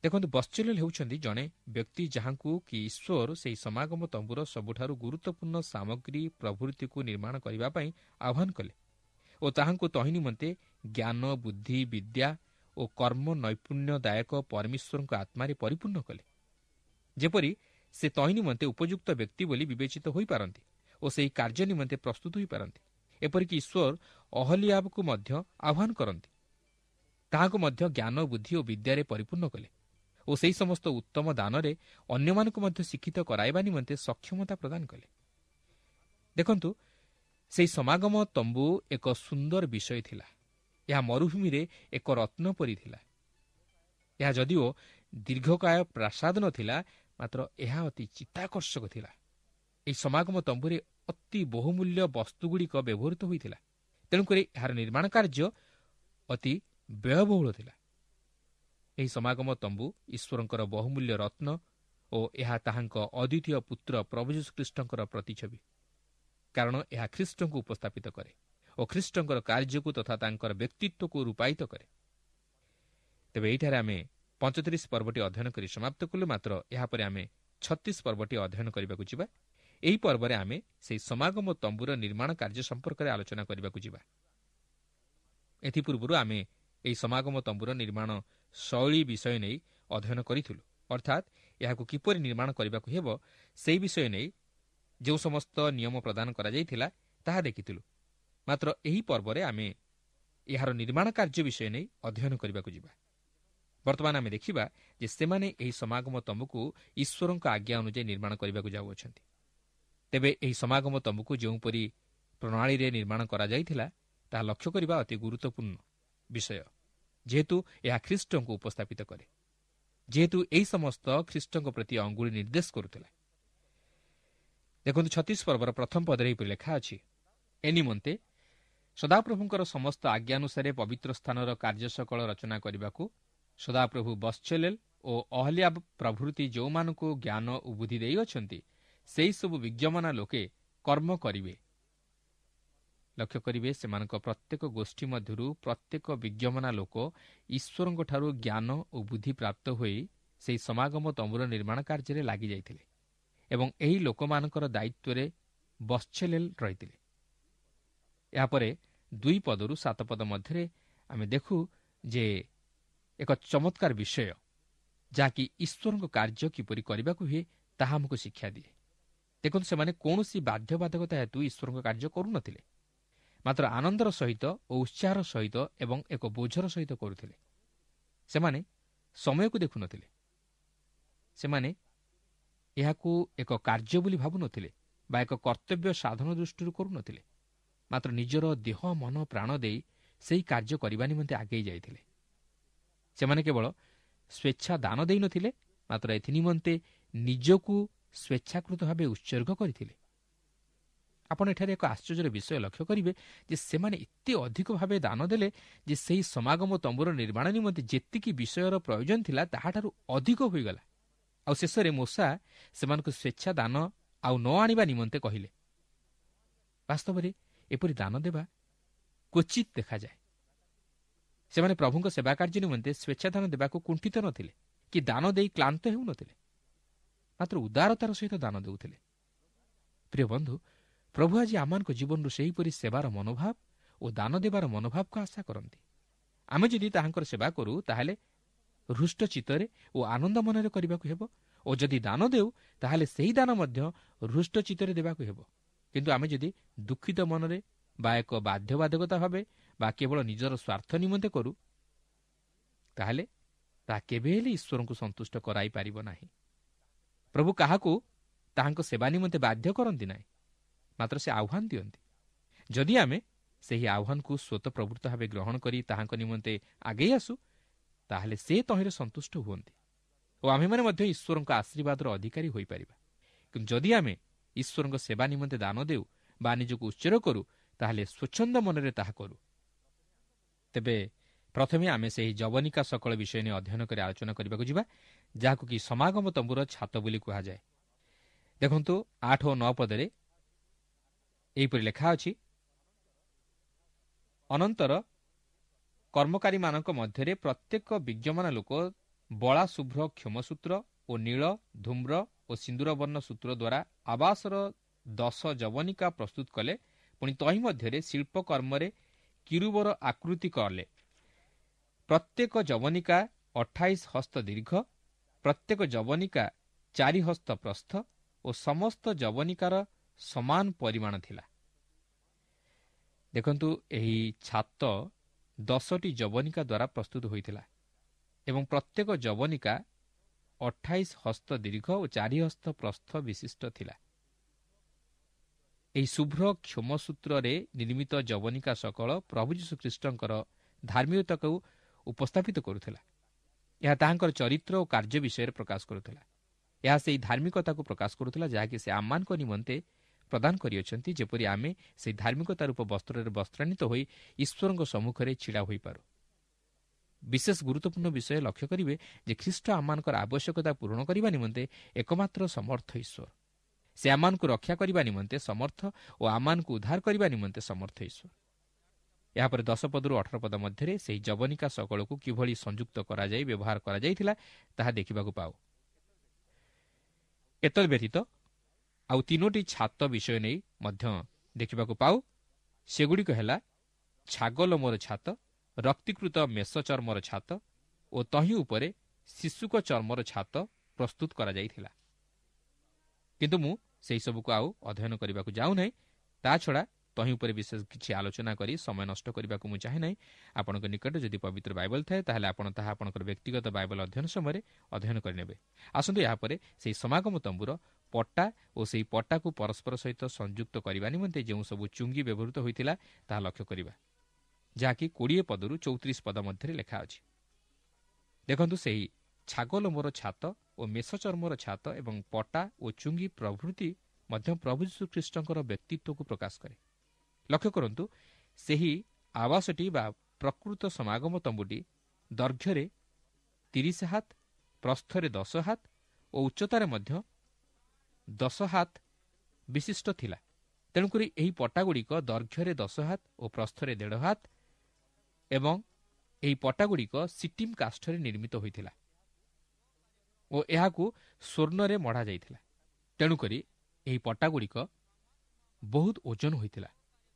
ଦେଖନ୍ତୁ, ବତ୍ସଲେଲ ହେଉଛନ୍ତି ଜଣେ ବ୍ୟକ୍ତି ଯାହାଙ୍କୁ କି ଈଶ୍ୱର ସେହି ସମାଗମ ତମ୍ବୁର ସବୁଠାରୁ ଗୁରୁତ୍ୱପୂର୍ଣ୍ଣ ସାମଗ୍ରୀ ପ୍ରଭୃତିକୁ ନିର୍ମାଣ କରିବା ପାଇଁ ଆହ୍ୱାନ କଲେ ଓ ତାହାଙ୍କୁ ତହିଁ ନିମନ୍ତେ ଜ୍ଞାନ, ବୁଦ୍ଧି, ବିଦ୍ୟା ଓ କର୍ମ ନୈପୁଣ୍ୟଦାୟକ ପରମେଶ୍ୱରଙ୍କ ଆତ୍ମାରେ ପରିପୂର୍ଣ୍ଣ କଲେ, ଯେପରି ସେ ତହିଁ ନିମନ୍ତେ ଉପଯୁକ୍ତ ବ୍ୟକ୍ତି ବୋଲି ବିବେଚିତ ହୋଇପାରନ୍ତି ଓ ସେହି କାର୍ଯ୍ୟ ନିମନ୍ତେ ପ୍ରସ୍ତୁତ ହୋଇପାରନ୍ତି। ଏପରିକି ଈଶ୍ୱର ଅହଲିଆବକୁ ମଧ୍ୟ ଆହ୍ୱାନ କରନ୍ତି, ତାହାକୁ ମଧ୍ୟ ଜ୍ଞାନ, ବୁଦ୍ଧି ଓ ବିଦ୍ୟାରେ ପରିପୂର୍ଣ୍ଣ କଲେ ଓ ସେହି ସମସ୍ତ ଉତ୍ତମ ଦାନରେ ଅନ୍ୟମାନଙ୍କୁ ମଧ୍ୟ ଶିକ୍ଷିତ କରାଇବା ନିମନ୍ତେ ସକ୍ଷମତା ପ୍ରଦାନ କଲେ। ଦେଖନ୍ତୁ, ସେହି ସମାଗମ ତମ୍ବୁ ଏକ ସୁନ୍ଦର ବିଷୟ ଥିଲା। ଏହା ମରୁଭୂମିରେ ଏକ ରତ୍ନ ପରି ଥିଲା। ଏହା ଯଦିଓ ଦୀର୍ଘକାୟ ପ୍ରାସାଦ ନଥିଲା, ମାତ୍ର ଏହା ଅତି ଚିତ୍ତାକର୍ଷକ ଥିଲା। ଏହି ସମାଗମ ତମ୍ବୁରେ ଅତି ବହୁମୂଲ୍ୟ ବସ୍ତୁଗୁଡ଼ିକ ବ୍ୟବହୃତ ହୋଇଥିଲା, ତେଣୁକରି ଏହାର ନିର୍ମାଣ କାର୍ଯ୍ୟ ଅତି ବ୍ୟୟବହୁଳ ଥିଲା। ଏହି ସମାଗମ ତମ୍ବୁ ଈଶ୍ୱରଙ୍କର ବହୁମୂଲ୍ୟ ରତ୍ନ ଓ ଏହା ତାହାଙ୍କ ଅଦ୍ୱିତୀୟ ପୁତ୍ର ପ୍ରଭୁ ଯୀଶୁଖ୍ରୀଷ୍ଟଙ୍କର ପ୍ରତିଛବି, କାରଣ ଏହା ଖ୍ରୀଷ୍ଟଙ୍କୁ ଉପସ୍ଥାପିତ କରେ ଓ ଖ୍ରୀଷ୍ଟଙ୍କର କାର୍ଯ୍ୟକୁ ତଥା ତାଙ୍କର ବ୍ୟକ୍ତିତ୍ୱକୁ ରୂପାୟିତ କରେ। ତେବେ ଏହିଠାରେ ଆମେ ପଞ୍ଚତିରିଶ ପର୍ବଟି ଅଧ୍ୟୟନ କରି ସମାପ୍ତ କଲୁ। ମାତ୍ର ଏହାପରେ ଆମେ ଛତିଶ ପର୍ବଟି ଅଧ୍ୟୟନ କରିବାକୁ ଯିବା। ଏହି ପର୍ବରେ ଆମେ ସେହି ସମାଗମ ତମ୍ବୁର ନିର୍ମାଣ କାର୍ଯ୍ୟ ସମ୍ପର୍କରେ ଆଲୋଚନା କରିବାକୁ ଯିବା। ଏଥିପୂର୍ବରୁ ଆମେ ଏହି ସମାଗମ ତମ୍ବୁର ନିର୍ମାଣ ଶୈଳୀ ବିଷୟ ନେଇ ଅଧ୍ୟୟନ କରିଥିଲୁ, ଅର୍ଥାତ୍ ଏହାକୁ କିପରି ନିର୍ମାଣ କରିବାକୁ ହେବ ସେହି ବିଷୟ ନେଇ ଯେଉଁ ସମସ୍ତ ନିୟମ ପ୍ରଦାନ କରାଯାଇଥିଲା ତାହା ଦେଖିଥିଲୁ। ମାତ୍ର ଏହି ପର୍ବରେ ଆମେ ଏହାର ନିର୍ମାଣ କାର୍ଯ୍ୟ ବିଷୟ ନେଇ ଅଧ୍ୟୟନ କରିବାକୁ ଯିବା। ବର୍ତ୍ତମାନ ଆମେ ଦେଖିବା ଯେ ସେମାନେ ଏହି ସମାଗମ ତମ୍ବୁକୁ ଈଶ୍ୱରଙ୍କ ଆଜ୍ଞା ଅନୁଯାୟୀ ନିର୍ମାଣ କରିବାକୁ ଯାଉଅଛନ୍ତି। ତେବେ ଏହି ସମାଗମ ତମ୍ବୁକୁ ଯେଉଁପରି ପ୍ରଣାଳୀରେ ନିର୍ମାଣ କରାଯାଇଥିଲା ତାହା ଲକ୍ଷ୍ୟ କରିବା ଅତି ଗୁରୁତ୍ୱପୂର୍ଣ୍ଣ ବିଷୟ, ଯେହେତୁ ଏହା ଖ୍ରୀଷ୍ଟଙ୍କୁ ଉପସ୍ଥାପିତ କରେ, ଯେହେତୁ ଏହି ସମସ୍ତ ଖ୍ରୀଷ୍ଟଙ୍କ ପ୍ରତି ଅଙ୍ଗୁଳି ନିର୍ଦ୍ଦେଶ କରୁଥିଲା। ଦେଖନ୍ତୁ, ଛତିଶ ପର୍ବର ପ୍ରଥମ ପଦରେ ଏହିପରି ଲେଖା ଅଛି, ଏ ନିମନ୍ତେ ସଦାପ୍ରଭୁଙ୍କର ସମସ୍ତ ଆଜ୍ଞାନୁସାରେ ପବିତ୍ର ସ୍ଥାନର କାର୍ଯ୍ୟ ସକଳ ରଚନା କରିବାକୁ ସଦାପ୍ରଭୁ ବତ୍ସଲେଲ ଓ ଅହଲିଆବ ପ୍ରଭୃତି ଯେଉଁମାନଙ୍କୁ ଜ୍ଞାନ ଓ ବୁଦ୍ଧି ଦେଇଅଛନ୍ତି ସେହିସବୁ ବିଜ୍ଞମନା ଲୋକେ କର୍ମ କରିବେ। ଲକ୍ଷ୍ୟ କରିବେ, ସେମାନଙ୍କ ପ୍ରତ୍ୟେକ ଗୋଷ୍ଠୀ ମଧ୍ୟରୁ ପ୍ରତ୍ୟେକ ବିଜ୍ଞମନା ଲୋକ ଈଶ୍ୱରଙ୍କଠାରୁ ଜ୍ଞାନ ଓ ବୁଦ୍ଧି ପ୍ରାପ୍ତ ହୋଇ ସେହି ସମାଗମ ତମ୍ବୁର ନିର୍ମାଣ କାର୍ଯ୍ୟରେ ଲାଗିଯାଇଥିଲେ। ଏବଂ ଏହି ଲୋକମାନଙ୍କର ଦାୟିତ୍ୱରେ ବତ୍ସଲେଲ ରହିଥିଲେ। ଏହାପରେ ଦୁଇ ପଦରୁ ସାତ ପଦ ମଧ୍ୟରେ ଆମେ ଦେଖୁ ଯେ ଏକ ଚମତ୍କାର ବିଷୟ, ଯାହାକି ଈଶ୍ୱରଙ୍କ କାର୍ଯ୍ୟ କିପରି କରିବାକୁ ହୁଏ ତାହା ଆମକୁ ଶିକ୍ଷା ଦିଏ। ଦେଖନ୍ତୁ, ସେମାନେ କୌଣସି ବାଧ୍ୟବାଧକତା ହେତୁ ଈଶ୍ୱରଙ୍କ କାର୍ଯ୍ୟ କରୁନଥିଲେ, ମାତ୍ର ଆନନ୍ଦର ସହିତ ଓ ଉତ୍ସାହର ସହିତ ଏବଂ ଏକ ବୋଝର ସହିତ କରୁଥିଲେ। ସେମାନେ ସମୟକୁ ଦେଖୁନଥିଲେ, ସେମାନେ ଏହାକୁ ଏକ କାର୍ଯ୍ୟ ବୋଲି ଭାବୁନଥିଲେ ବା ଏକ କର୍ତ୍ତବ୍ୟ ସାଧନ ଦୃଷ୍ଟିରୁ କରୁନଥିଲେ, ମାତ୍ର ନିଜର ଦେହ ମନ ପ୍ରାଣ ଦେଇ ସେହି କାର୍ଯ୍ୟ କରିବା ନିମନ୍ତେ ଆଗେଇ ଯାଇଥିଲେ। ସେମାନେ କେବଳ ସ୍ୱେଚ୍ଛା ଦାନ ଦେଇନଥିଲେ, ମାତ୍ର ଏଥିନିମନ୍ତେ ନିଜକୁ ସ୍ୱେଚ୍ଛାକୃତ ଭାବେ ଉତ୍ସର୍ଗ କରିଥିଲେ। ଆପଣ ଏଠାରେ ଏକ ଆଶ୍ଚର୍ଯ୍ୟର ବିଷୟ ଲକ୍ଷ୍ୟ କରିବେ ଯେ ସେମାନେ ଏତେ ଅଧିକ ଭାବେ ଦାନ ଦେଲେ ଯେ ସେହି ସମାଗମ ତମ୍ବୁର ନିର୍ମାଣ ନିମନ୍ତେ ଯେତିକି ବିଷୟର ପ୍ରୟୋଜନ ଥିଲା ତାହାଠାରୁ ଅଧିକ ହୋଇଗଲା। ଆଉ ଶେଷରେ ମୋଶା ସେମାନଙ୍କୁ ସ୍ୱେଚ୍ଛା ଦାନ ଆଉ ନ ଆଣିବା ନିମନ୍ତେ କହିଲେ। ବାସ୍ତବରେ ଏପରି ଦାନ ଦେବା କ୍ୱଚିତ୍ ଦେଖାଯାଏ। ସେମାନେ ପ୍ରଭୁଙ୍କ ସେବା କାର୍ଯ୍ୟ ନିମନ୍ତେ ସ୍ୱେଚ୍ଛାଦାନ ଦେବାକୁ କୁଣ୍ଠିତ ନଥିଲେ କି ଦାନ ଦେଇ କ୍ଳାନ୍ତ ହେଉନଥିଲେ, ମାତ୍ର ଉଦାରତାର ସହିତ ଦାନ ଦେଉଥିଲେ। ପ୍ରିୟ ବନ୍ଧୁ, ପ୍ରଭୁ ଆଜି ଆମମାନଙ୍କ ଜୀବନରୁ ସେହିପରି ସେବାର ମନୋଭାବ ଓ ଦାନ ଦେବାର ମନୋଭାବକୁ ଆଶା କରନ୍ତି। ଆମେ ଯଦି ତାହାଙ୍କର ସେବା କରୁ ତାହେଲେ ହୃଷ୍ଟ ଚିତ୍ତରେ ଓ ଆନନ୍ଦ ମନରେ କରିବାକୁ ହେବ, ଓ ଯଦି ଦାନ ଦେଉ ତାହେଲେ ସେହି ଦାନ ମଧ୍ୟ ହୃଷ୍ଟ ଚିତ୍ତରେ ଦେବାକୁ ହେବ। କିନ୍ତୁ ଆମେ ଯଦି ଦୁଃଖିତ ମନରେ ବା ଏକ ବାଧ୍ୟବାଧକତା ଭାବେ ବା କେବଳ ନିଜର ସ୍ୱାର୍ଥ ନିମନ୍ତେ କରୁ, ତାହେଲେ ତାହା କେବେ ହେଲେ ଈଶ୍ୱରଙ୍କୁ ସନ୍ତୁଷ୍ଟ କରାଇପାରିବ ନାହିଁ। ପ୍ରଭୁ କାହାକୁ ତାହାଙ୍କ ସେବା ନିମନ୍ତେ ବାଧ୍ୟ କରନ୍ତି ନାହିଁ, ମାତ୍ର ସେ ଆହ୍ୱାନ ଦିଅନ୍ତି। ଯଦି ଆମେ ସେହି ଆହ୍ୱାନକୁ ସ୍ୱତଃପ୍ରବୃତ୍ତ ଭାବେ ଗ୍ରହଣ କରି ତାହାଙ୍କ ନିମନ୍ତେ ଆଗେଇ ଆସୁ, ତାହେଲେ ସେ ତହିଁରେ ସନ୍ତୁଷ୍ଟ ହୁଅନ୍ତି ଓ ଆମେମାନେ ମଧ୍ୟ ଈଶ୍ୱରଙ୍କ ଆଶୀର୍ବାଦର ଅଧିକାରୀ ହୋଇପାରିବା। କିନ୍ତୁ ଯଦି ଆମେ ଈଶ୍ୱରଙ୍କ ସେବା ନିମନ୍ତେ ଦାନ ଦେଉ ବା ନିଜକୁ ଉତ୍ସର୍ଗ କରୁ, ତାହେଲେ ସ୍ୱଚ୍ଛନ୍ଦ ମନରେ ତାହା କରୁ। ତେବେ ପ୍ରଥମେ ଆମେ ସେହି ଯବନିକା ସକଳ ବିଷୟ ନେଇ ଅଧ୍ୟୟନ କରି ଆଲୋଚନା କରିବାକୁ ଯିବା, ଯାହାକୁ କି ସମାଗମ ତମ୍ବୁର ଛାତ ବୋଲି କୁହାଯାଏ। ଦେଖନ୍ତୁ, ଆଠ ଓ ନଅ ପଦରେ ଏହିପରି ଲେଖା ଅଛି, ଅନନ୍ତର କର୍ମକାରୀମାନଙ୍କ ମଧ୍ୟରେ ପ୍ରତ୍ୟେକ ବିଜ୍ଞମାନ ଲୋକ ବଳା ଶୁଭ୍ର କ୍ଷମସୂତ୍ର ଓ ନୀଳ, ଧୂମ୍ର ଓ ସିନ୍ଦୁରବର୍ଣ୍ଣ ସୂତ୍ର ଦ୍ୱାରା ଆବାସର ଦଶ ଯବନିକା ପ୍ରସ୍ତୁତ କଲେ। ପୁଣି ତହିଁ ମଧ୍ୟରେ ଶିଳ୍ପକର୍ମରେ କିରୁବର ଆକୃତି କଲେ। ପ୍ରତ୍ୟେକ ଯବନିକା ଅଠାଇଶ ହସ୍ତ ଦୀର୍ଘ, ପ୍ରତ୍ୟେକ ଯବନିକା ଚାରି ହସ୍ତ ପ୍ରସ୍ଥ ଓ ସମସ୍ତ ଯବନିକାର ସମାନ ପରିମାଣ ଥିଲା। ଦେଖନ୍ତୁ, ଏହି ଛାତ ଦଶଟି ଯବନିକା ଦ୍ୱାରା ପ୍ରସ୍ତୁତ ହୋଇଥିଲା ଏବଂ ପ୍ରତ୍ୟେକ ଯବନିକା ଅଠାଇଶ ହସ୍ତ ଦୀର୍ଘ ଓ ଚାରି ହସ୍ତ ପ୍ରସ୍ଥ ବିଶିଷ୍ଟ ଥିଲା। ଏହି ଶୁଭ୍ର କ୍ଷମସୂତ୍ରରେ ନିର୍ମିତ ଯବନିକା ସକଳ ପ୍ରଭୁ ଯୀଶୁଖ୍ରୀଷ୍ଟଙ୍କର ଧାର୍ମିକତାକୁ ଉପସ୍ଥାପିତ କରୁଥିଲା। ଏହା ତାହାଙ୍କର ଚରିତ୍ର ଓ କାର୍ଯ୍ୟ ବିଷୟରେ ପ୍ରକାଶ କରୁଥିଲା। ଏହା ସେହି ଧାର୍ମିକତାକୁ ପ୍ରକାଶ କରୁଥିଲା ଯାହାକି ସେ ଆମମାନଙ୍କ ନିମନ୍ତେ ପ୍ରଦାନ କରିଅଛନ୍ତି, ଯେପରି ଆମେ ସେହି ଧାର୍ମିକତା ରୂପ ବସ୍ତ୍ରରେ ବସ୍ତ୍ରାନ୍ୱିତ ହୋଇ ଈଶ୍ୱରଙ୍କ ସମ୍ମୁଖରେ ଛିଡ଼ା ହୋଇପାରୁ। ବିଶେଷ ଗୁରୁତ୍ୱପୂର୍ଣ୍ଣ ବିଷୟ ଲକ୍ଷ୍ୟ କରିବେ ଯେ ଖ୍ରୀଷ୍ଟ ଆମମାନଙ୍କର ଆବଶ୍ୟକତା ପୂରଣ କରିବା ନିମନ୍ତେ ଏକମାତ୍ର ସମର୍ଥ ଈଶ୍ୱର। ସେ ଆମମାନଙ୍କୁ ରକ୍ଷା କରିବା ନିମନ୍ତେ ସମର୍ଥ ଓ ଆମମାନଙ୍କୁ ଉଦ୍ଧାର କରିବା ନିମନ୍ତେ ସମର୍ଥ ଈଶ୍ୱର। ଏହାପରେ ଦଶ ପଦରୁ ଅଠର ପଦ ମଧ୍ୟରେ ସେହି ଯବନିକା ସକଳକୁ କିଭଳି ସଂଯୁକ୍ତ କରାଯାଇ ବ୍ୟବହାର କରାଯାଇଥିଲା ତାହା ଦେଖିବାକୁ ପାଉ। ଏତଦ୍ ବ୍ୟତୀତ ଆଉ ତିନୋଟି ଛାତ ବିଷୟ ନେଇ ମଧ୍ୟ ଦେଖିବାକୁ ପାଉ। ସେଗୁଡ଼ିକ ହେଲା ଛାଗଲୋମର ଛାତ, ରକ୍ତିକୃତ ମେଷ ଚର୍ମର ଛାତ ଓ ତହିଁ ଉପରେ ଶିଶୁକ ଚର୍ମର ଛାତ ପ୍ରସ୍ତୁତ କରାଯାଇଥିଲା। କିନ୍ତୁ ମୁଁ ସେହିସବୁକୁ ଆଉ ଅଧ୍ୟୟନ କରିବାକୁ ଯାଉନାହିଁ। ତା ଛଡ଼ା ତହିଁ ଉପରେ ବିଶେଷ କିଛି ଆଲୋଚନା କରି ସମୟ ନଷ୍ଟ କରିବାକୁ ମୁଁ ଚାହେଁ ନାହିଁ। ଆପଣଙ୍କ ନିକଟରେ ଯଦି ପବିତ୍ର ବାଇବଲ ଥାଏ, ତାହେଲେ ଆପଣ ତାହା ଆପଣଙ୍କର ବ୍ୟକ୍ତିଗତ ବାଇବଲ ଅଧ୍ୟୟନ ସମୟରେ ଅଧ୍ୟୟନ କରିନେବେ। ଆସନ୍ତୁ ଏହାପରେ ସେହି ସମାଗମ ତମ୍ବୁର ପଟା ଓ ସେହି ପଟାକୁ ପରସ୍ପର ସହିତ ସଂଯୁକ୍ତ କରିବା ନିମନ୍ତେ ଯେଉଁ ସବୁ ଚୁଙ୍ଗି ବ୍ୟବହୃତ ହୋଇଥିଲା ତାହା ଲକ୍ଷ୍ୟ କରିବା, ଯାହାକି କୋଡ଼ିଏ ପଦରୁ ଚଉତିରିଶ ପଦ ମଧ୍ୟରେ ଲେଖା ଅଛି। ଦେଖନ୍ତୁ, ସେହି ଛାଗଲୋମର ଛାତ ଓ ମେଷ ଚର୍ମର ଛାତ ଏବଂ ପଟା ଓ ଚୁଙ୍ଗି ପ୍ରଭୃତି ମଧ୍ୟ ପ୍ରଭୁ ଯୀଶୁଖ୍ରୀଷ୍ଟଙ୍କର ବ୍ୟକ୍ତିତ୍ୱକୁ ପ୍ରକାଶ କରେ। ଲକ୍ଷ୍ୟ କରନ୍ତୁ, ସେହି ଆବାସଟି ବା ପ୍ରକୃତ ସମାଗମ ତମ୍ବୁଟି ଦୈର୍ଘ୍ୟରେ ତିରିଶ ହାତ, ପ୍ରସ୍ଥରେ ଦଶ ହାତ ଓ ଉଚ୍ଚତାରେ ମଧ୍ୟ ଦଶ ହାତ ବିଶିଷ୍ଟ ଥିଲା। ତେଣୁକରି ଏହି ପଟାଗୁଡ଼ିକ ଦୈର୍ଘ୍ୟରେ ଦଶ ହାତ ଓ ପ୍ରସ୍ଥରେ ଦେଢ଼ ହାତ ଏବଂ ଏହି ପଟାଗୁଡ଼ିକ ସିଟିମ୍ କାଷ୍ଠରେ ନିର୍ମିତ ହୋଇଥିଲା ଓ ଏହାକୁ ସ୍ୱର୍ଣ୍ଣରେ ମଢ଼ାଯାଇଥିଲା। ତେଣୁକରି ଏହି ପଟାଗୁଡ଼ିକ ବହୁତ ଓଜନ ହୋଇଥିଲା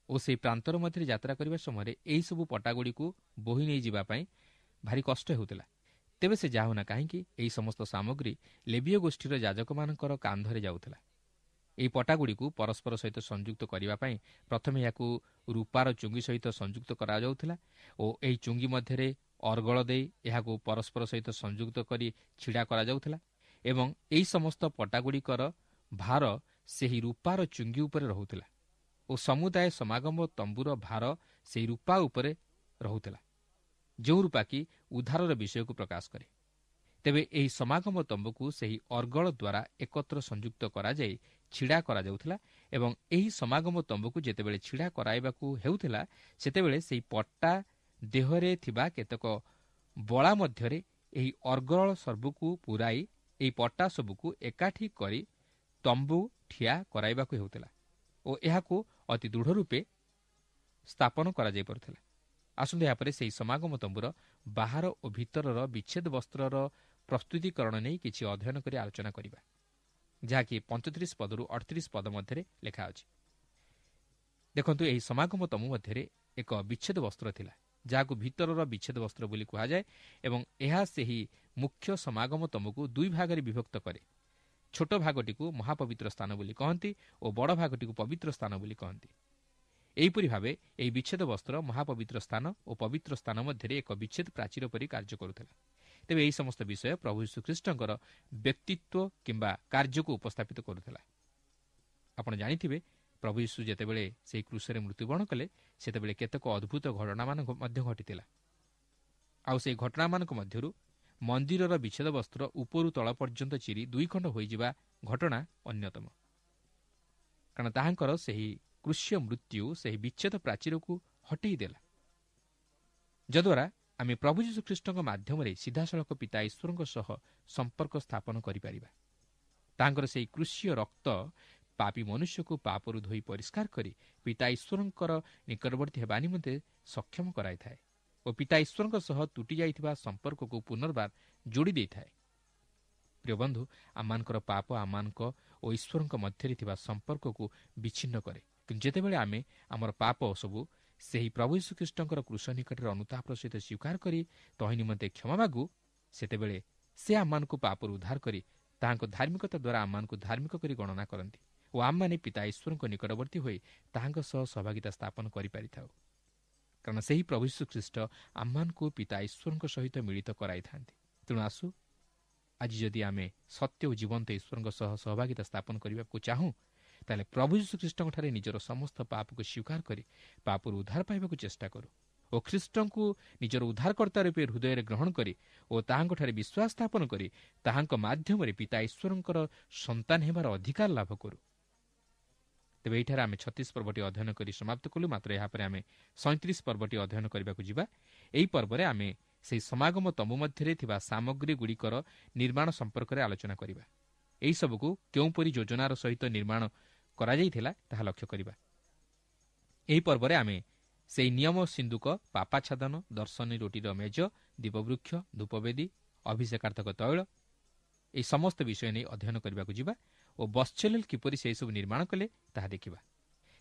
ଓ ସେହି ପ୍ରାନ୍ତର ମଧ୍ୟରେ ଯାତ୍ରା କରିବା ସମୟରେ ଏହିସବୁ ପଟାଗୁଡ଼ିକୁ ବୋହି ନେଇଯିବା ପାଇଁ ଭାରି କଷ୍ଟ ହେଉଥିଲା। ତେବେ ସେ ଯାହା ହେଉନା କାହିଁକି, ଏହି ସମସ୍ତ ସାମଗ୍ରୀ ଲେବୀୟ ଗୋଷ୍ଠୀର ଯାଜକମାନଙ୍କର କାନ୍ଧରେ ଯାଉଥିଲା। ଏହି ପଟାଗୁଡ଼ିକୁ ପରସ୍ପର ସହିତ ସଂଯୁକ୍ତ କରିବା ପାଇଁ ପ୍ରଥମେ ଏହାକୁ ରୂପାର ଚୁଙ୍ଗି ସହିତ ସଂଯୁକ୍ତ କରାଯାଉଥିଲା ଓ ଏହି ଚୁଙ୍ଗି ମଧ୍ୟରେ ଅର୍ଗଳ ଦେଇ ଏହାକୁ ପରସ୍ପର ସହିତ ସଂଯୁକ୍ତ କରି ଛିଡ଼ା କରାଯାଉଥିଲା ଏବଂ ଏହି ସମସ୍ତ ପଟାଗୁଡ଼ିକର ଭାର ସେହି ରୂପାର ଚୁଙ୍ଗି ଉପରେ ରହୁଥିଲା ଓ ସମୁଦାୟ ସମାଗମ ତମ୍ବୁର ଭାର ସେହି ରୂପା ଉପରେ ରହୁଥିଲା, ଯେଉଁ ରୂପା କି ଉଦ୍ଧାରର ବିଷୟକୁ ପ୍ରକାଶ କରେ। ତେବେ ଏହି ସମାଗମ ତମ୍ବୁକୁ ସେହି ଅର୍ଗଳ ଦ୍ୱାରା ଏକତ୍ର ସଂଯୁକ୍ତ କରାଯାଇ ଛିଡ଼ା କରାଯାଉଥିଲା ଏବଂ ଏହି ସମାଗମ ତମ୍ବୁକୁ ଯେତେବେଳେ ଛିଡ଼ା କରାଇବାକୁ ହେଉଥିଲା, ସେତେବେଳେ ସେହି ପଟା ଦେହରେ ଥିବା କେତେକ ବଳା ମଧ୍ୟରେ ଏହି ଅର୍ଗଳ ସର୍ବକୁ ପୂରାଇ ଏହି ପଟା ସବୁକୁ ଏକାଠି କରି ତମ୍ବୁ ଠିଆ କରାଇବାକୁ ହେଉଥିଲା ଓ ଏହାକୁ ଅତି ଦୃଢ଼ ରୂପେ ସ୍ଥାପନ କରାଯାଇପାରୁଥିଲା। ଆସନ୍ତୁ ଏହାପରେ ସେହି ସମାଗମ ତମ୍ବୁର ବାହାର ଓ ଭିତରର ବିଚ୍ଛେଦ ବସ୍ତ୍ରର ପ୍ରସ୍ତୁତିକରଣ ନେଇ କିଛି ଅଧ୍ୟୟନ କରି ଆଲୋଚନା କରିବା, ଯାହାକି ପଞ୍ଚତିରିଶ ପଦରୁ ଅଠତିରିଶ ପଦ ମଧ୍ୟରେ ଲେଖା ଅଛି। ଦେଖନ୍ତୁ, ଏହି ସମାଗମ ତମ୍ବୁ ମଧ୍ୟରେ ଏକ ବିଚ୍ଛେଦ ବସ୍ତ୍ର ଥିଲା, ଯାହାକୁ ଭିତରର ବିଚ୍ଛେଦ ବସ୍ତ୍ର ବୋଲି କୁହାଯାଏ ଏବଂ ଏହା ସେହି ମୁଖ୍ୟ ସମାଗମ ତମ୍ବୁକୁ ଦୁଇ ଭାଗରେ ବିଭକ୍ତ କରେ। ଛୋଟ ଭାଗଟିକୁ ମହାପବିତ୍ର ସ୍ଥାନ ବୋଲି କହନ୍ତି ଓ ବଡ଼ ଭାଗଟିକୁ ପବିତ୍ର ସ୍ଥାନ ବୋଲି କହନ୍ତି। ଏହିପରି ଭାବେ ଏହି ବିଚ୍ଛେଦ ବସ୍ତ୍ର ମହାପବିତ୍ର ସ୍ଥାନ ଓ ପବିତ୍ର ସ୍ଥାନ ମଧ୍ୟରେ ଏକ ବିଚ୍ଛେଦ ପ୍ରାଚୀର ପରି କାର୍ଯ୍ୟ କରୁଥିଲା। ତେବେ ଏହି ସମସ୍ତ ବିଷୟ ପ୍ରଭୁ ଯୀଶୁଖ୍ରୀଷ୍ଟଙ୍କର ବ୍ୟକ୍ତିତ୍ୱ କିମ୍ବା କାର୍ଯ୍ୟକୁ ଉପସ୍ଥାପିତ କରୁଥିଲା। ଆପଣ ଜାଣିଥିବେ, ପ୍ରଭୁ ଯୀଶୁ ଯେତେବେଳେ ସେହି କ୍ରୁଶରେ ମୃତ୍ୟୁବରଣ କଲେ, ସେତେବେଳେ କେତେକ ଅଦ୍ଭୁତ ଘଟଣାମାନ ମଧ୍ୟ ଘଟିଥିଲା। ଆଉ ସେହି ଘଟଣାମାନଙ୍କ ମଧ୍ୟରୁ ମନ୍ଦିରର ବିଚ୍ଛେଦ ବସ୍ତ୍ର ଉପରୁ ତଳ ପର୍ଯ୍ୟନ୍ତ ଚିରି ଦୁଇ ଖଣ୍ଡ ହୋଇଯିବା ଘଟଣା ଅନ୍ୟତମ। କାରଣ ତାହାଙ୍କର ସେହି କୃଷ୍ୟ ମୃତ୍ୟୁ ସେହି ବିଚ୍ଛେଦ ପ୍ରାଚୀରକୁ ହଟେଇ ଦେଲା, ଯଦ୍ୱାରା ଆମେ ପ୍ରଭୁ ଯୀଶୁଖ୍ରୀଷ୍ଟଙ୍କ ମାଧ୍ୟମରେ ସିଧାସଳଖ ପିତା ଈଶ୍ୱରଙ୍କ ସହ ସମ୍ପର୍କ ସ୍ଥାପନ କରିପାରିବା। ତାଙ୍କର ସେହି କୃଷ୍ୟ ରକ୍ତ ପାପୀ ମନୁଷ୍ୟକୁ ପାପରୁ ଧୋଇ ପରିଷ୍କାର କରି ପିତା ଈଶ୍ୱରଙ୍କର ନିକଟବର୍ତ୍ତୀ ହେବା ନିମନ୍ତେ ସକ୍ଷମ କରାଇଥାଏ ଓ ପିତା ଈଶ୍ୱରଙ୍କ ସହ ତୁଟି ଯାଇଥିବା ସମ୍ପର୍କକୁ ପୁନର୍ବାର ଯୋଡ଼ି ଦେଇଥାଏ। ପ୍ରିୟ ବନ୍ଧୁ, ଆମମାନଙ୍କର ପାପ ଆମମାନଙ୍କ ଓ ଈଶ୍ୱରଙ୍କ ମଧ୍ୟରେ ଥିବା ସମ୍ପର୍କକୁ ବିଚ୍ଛିନ୍ନ କରେ, କିନ୍ତୁ ଯେତେବେଳେ ଆମେ ଆମର ପାପ ସବୁ ସେହି ପ୍ରଭୁ ଯୀଶୁଖ୍ରୀଷ୍ଟଙ୍କର କ୍ରୁଶ ନିକଟରେ ଅନୁତାପର ସହିତ ସ୍ୱୀକାର କରି ତହିଁ ନିମନ୍ତେ କ୍ଷମା ମାଗୁ, ସେତେବେଳେ ସେ ଆମମାନଙ୍କୁ ପାପରୁ ଉଦ୍ଧାର କରି ତାହାଙ୍କ ଧାର୍ମିକତା ଦ୍ୱାରା ଆମମାନଙ୍କୁ ଧାର୍ମିକ କରି ଗଣନା କରନ୍ତି ଓ ଆମମାନେ ପିତା ଈଶ୍ୱରଙ୍କ ନିକଟବର୍ତ୍ତୀ ହୋଇ ତାହାଙ୍କ ସହ ସହଭାଗିତା ସ୍ଥାପନ କରିପାରିଥାଉ। କାରଣ ସେହି ପ୍ରଭୁ ଯୀଶୁଖ୍ରୀଷ୍ଟ ଆମମାନଙ୍କୁ ପିତା ଈଶ୍ୱରଙ୍କ ସହିତ ମିଳିତ କରାଇଥାନ୍ତି। ତେଣୁ ଆସୁ, ଆଜି ଯଦି ଆମେ ସତ୍ୟ ଓ ଜୀବନ୍ତ ଈଶ୍ୱରଙ୍କ ସହ ସହଭାଗିତା ସ୍ଥାପନ କରିବାକୁ ଚାହୁଁ, ତାହେଲେ ପ୍ରଭୁ ଯୀଶୁଖ୍ରୀଷ୍ଟଙ୍କଠାରେ ନିଜର ସମସ୍ତ ପାପକୁ ସ୍ୱୀକାର କରି ପାପରୁ ଉଦ୍ଧାର ପାଇବାକୁ ଚେଷ୍ଟା କରୁ ଓ ଖ୍ରୀଷ୍ଟଙ୍କୁ ନିଜର ଉଦ୍ଧାରକର୍ତ୍ତା ରୂପେ ହୃଦୟରେ ଗ୍ରହଣ କରି ଓ ତାହାଙ୍କଠାରେ ବିଶ୍ୱାସ ସ୍ଥାପନ କରି ତାହାଙ୍କ ମାଧ୍ୟମରେ ପିତା ଈଶ୍ୱରଙ୍କର ସନ୍ତାନ ହେବାର ଅଧିକାର ଲାଭ କରୁ। ତେବେ ଏହିଠାରେ ଆମେ ଛତିଶ ପର୍ବଟି ଅଧ୍ୟୟନ କରି ସମାପ୍ତ କଲୁ। ମାତ୍ର ଏହାପରେ ଆମେ ସଇଁତିରିଶ ପର୍ବଟି ଅଧ୍ୟୟନ କରିବାକୁ ଯିବା। ଏହି ପର୍ବରେ ଆମେ ସେହି ସମାଗମ ତମ୍ବୁ ମଧ୍ୟରେ ଥିବା ସାମଗ୍ରୀଗୁଡ଼ିକର ନିର୍ମାଣ ସମ୍ପର୍କରେ ଆଲୋଚନା କରିବା। ଏହିସବୁକୁ କେଉଁପରି ଯୋଜନାର ସହିତ ନିର୍ମାଣ କରାଯାଇଥିଲା ତାହା ଲକ୍ଷ୍ୟ କରିବା। ଏହି ପର୍ବରେ ଆମେ ସେହି ନିୟମ ସିନ୍ଦୁକ, ପାପାଛାଦନ, ଦର୍ଶନୀ ରୋଟିର ମେଜ, ଦୀପବୃକ୍ଷ, ଧୂପବେଦୀ, ଅଭିଷେକାର୍ଥକ ତୈଳ, ଏହି ସମସ୍ତ ବିଷୟ ନେଇ ଅଧ୍ୟୟନ କରିବାକୁ ଯିବା ଓ ବତ୍ସଲେଲ କିପରି ସେହିସବୁ ନିର୍ମାଣ କଲେ ତାହା ଦେଖିବା।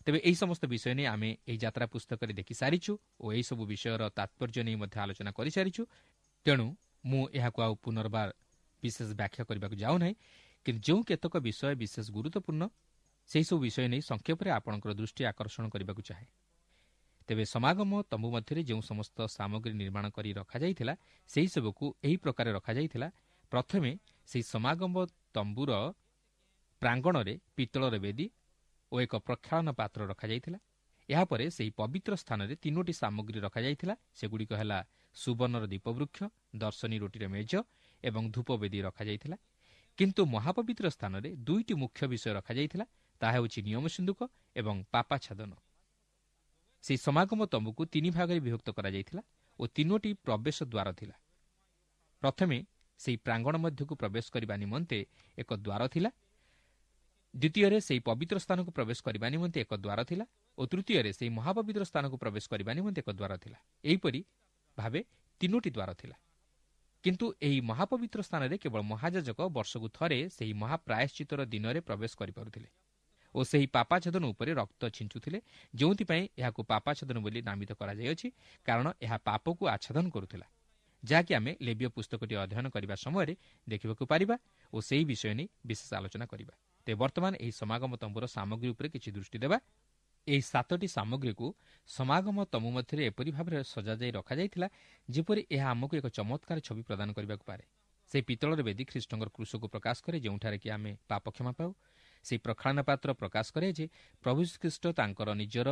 ତେବେ ଏହି ସମସ୍ତ ବିଷୟ ନେଇ ଆମେ ଏହି ଯାତ୍ରା ପୁସ୍ତକରେ ଦେଖିସାରିଛୁ ଓ ଏହିସବୁ ବିଷୟର ତାତ୍ପର୍ଯ୍ୟ ନେଇ ମଧ୍ୟ ଆଲୋଚନା କରିସାରିଛୁ। ତେଣୁ ମୁଁ ଏହାକୁ ଆଉ ପୁନର୍ବାର ବିଶେଷ ବ୍ୟାଖ୍ୟା କରିବାକୁ ଯାଉନାହିଁ, କିନ୍ତୁ ଯେଉଁ କେତେକ ବିଷୟ ବିଶେଷ ଗୁରୁତ୍ୱପୂର୍ଣ୍ଣ ସେହିସବୁ ବିଷୟ ନେଇ ସଂକ୍ଷେପରେ ଆପଣଙ୍କର ଦୃଷ୍ଟି ଆକର୍ଷଣ କରିବାକୁ ଚାହେଁ। ତେବେ ସମାଗମ ତମ୍ବୁ ମଧ୍ୟରେ ଯେଉଁ ସମସ୍ତ ସାମଗ୍ରୀ ନିର୍ମାଣ କରି ରଖାଯାଇଥିଲା ସେହିସବୁକୁ ଏହି ପ୍ରକାର ରଖାଯାଇଥିଲା। ପ୍ରଥମେ ସେହି ସମାଗମ ତମ୍ବୁର ପ୍ରାଙ୍ଗଣରେ ପିତ୍ତଳର ବେଦୀ ଓ ଏକ ପ୍ରକ୍ଷାଳନ ପାତ୍ର ରଖାଯାଇଥିଲା। ଏହାପରେ ସେହି ପବିତ୍ର ସ୍ଥାନରେ ତିନୋଟି ସାମଗ୍ରୀ ରଖାଯାଇଥିଲା। ସେଗୁଡ଼ିକ ହେଲା ସୁବର୍ଣ୍ଣର ଦୀପବୃକ୍ଷ, ଦର୍ଶନୀ ରୋଟିର ମେଜ ଏବଂ ଧୂପବେଦୀ ରଖାଯାଇଥିଲା। କିନ୍ତୁ ମହାପବିତ୍ର ସ୍ଥାନରେ ଦୁଇଟି ମୁଖ୍ୟ ବିଷୟ ରଖାଯାଇଥିଲା, ତାହା ହେଉଛି ନିୟମ ସିନ୍ଦୁକ ଏବଂ ପାପାଛାଦନ। ସେହି ସମାଗମ ତମ୍ବୁକୁ ତିନି ଭାଗରେ ବିଭକ୍ତ କରାଯାଇଥିଲା ଓ ତିନୋଟି ପ୍ରବେଶ ଦ୍ୱାର ଥିଲା। ପ୍ରଥମେ ସେହି ପ୍ରାଙ୍ଗଣ ମଧ୍ୟକୁ ପ୍ରବେଶ କରିବା ନିମନ୍ତେ ଏକ ଦ୍ୱାର ଥିଲା, ଦ୍ୱିତୀୟରେ ସେହି ପବିତ୍ର ସ୍ଥାନକୁ ପ୍ରବେଶ କରିବା ନିମନ୍ତେ ଏକ ଦ୍ୱାର ଥିଲା ଓ ତୃତୀୟରେ ସେହି ମହାପବିତ୍ର ସ୍ଥାନକୁ ପ୍ରବେଶ କରିବା ନିମନ୍ତେ ଏକ ଦ୍ୱାର ଥିଲା। ଏହିପରି ଭାବେ ତିନୋଟି ଦ୍ୱାର ଥିଲା। କିନ୍ତୁ ଏହି ମହାପବିତ୍ର ସ୍ଥାନରେ କେବଳ ମହାଯାଜକ ବର୍ଷକୁ ଥରେ ସେହି ମହାପ୍ରାୟଶ୍ଚିତର ଦିନରେ ପ୍ରବେଶ କରିପାରୁଥିଲେ ଓ ସେହି ପାପାଛେଦନ ଉପରେ ରକ୍ତ ଛିଞ୍ଚୁଥିଲେ, ଯେଉଁଥିପାଇଁ ଏହାକୁ ପାପାଛେଦନ ବୋଲି ନାମିତ କରାଯାଇଅଛି, କାରଣ ଏହା ପାପକୁ ଆଚ୍ଛାଦନ କରୁଥିଲା, ଯାହାକି ଆମେ ଲେବୀୟ ପୁସ୍ତକଟି ଅଧ୍ୟୟନ କରିବା ସମୟରେ ଦେଖିବାକୁ ପାରିବା ଓ ସେହି ବିଷୟ ନେଇ ବିଶେଷ ଆଲୋଚନା କରିବା। ତେବେ ବର୍ତ୍ତମାନ ଏହି ସମାଗମ ତମ୍ବୁର ସାମଗ୍ରୀ ଉପରେ କିଛି ଦୃଷ୍ଟି ଦେବା। ଏହି ସାତଟି ସାମଗ୍ରୀକୁ ସମାଗମ ତମ୍ବୁ ମଧ୍ୟରେ ଏପରି ଭାବରେ ସଜାଯାଇ ରଖାଯାଇଥିଲା ଯେପରି ଏହା ଆମକୁ ଏକ ଚମତ୍କାର ଛବି ପ୍ରଦାନ କରିବାକୁ ପାରେ। ସେହି ପିତ୍ତଳର ବେଦୀ ଖ୍ରୀଷ୍ଟଙ୍କର କ୍ରୁଶକୁ ପ୍ରକାଶ କରେ, ଯେଉଁଠାରେ କି ଆମେ ପାପ କ୍ଷମା ପାଉ। ସେହି ପ୍ରକ୍ଷାଳନ ପାତ୍ର ପ୍ରକାଶ କରେ ଯେ ପ୍ରଭୁ ଖ୍ରୀଷ୍ଟ ତାଙ୍କର ନିଜର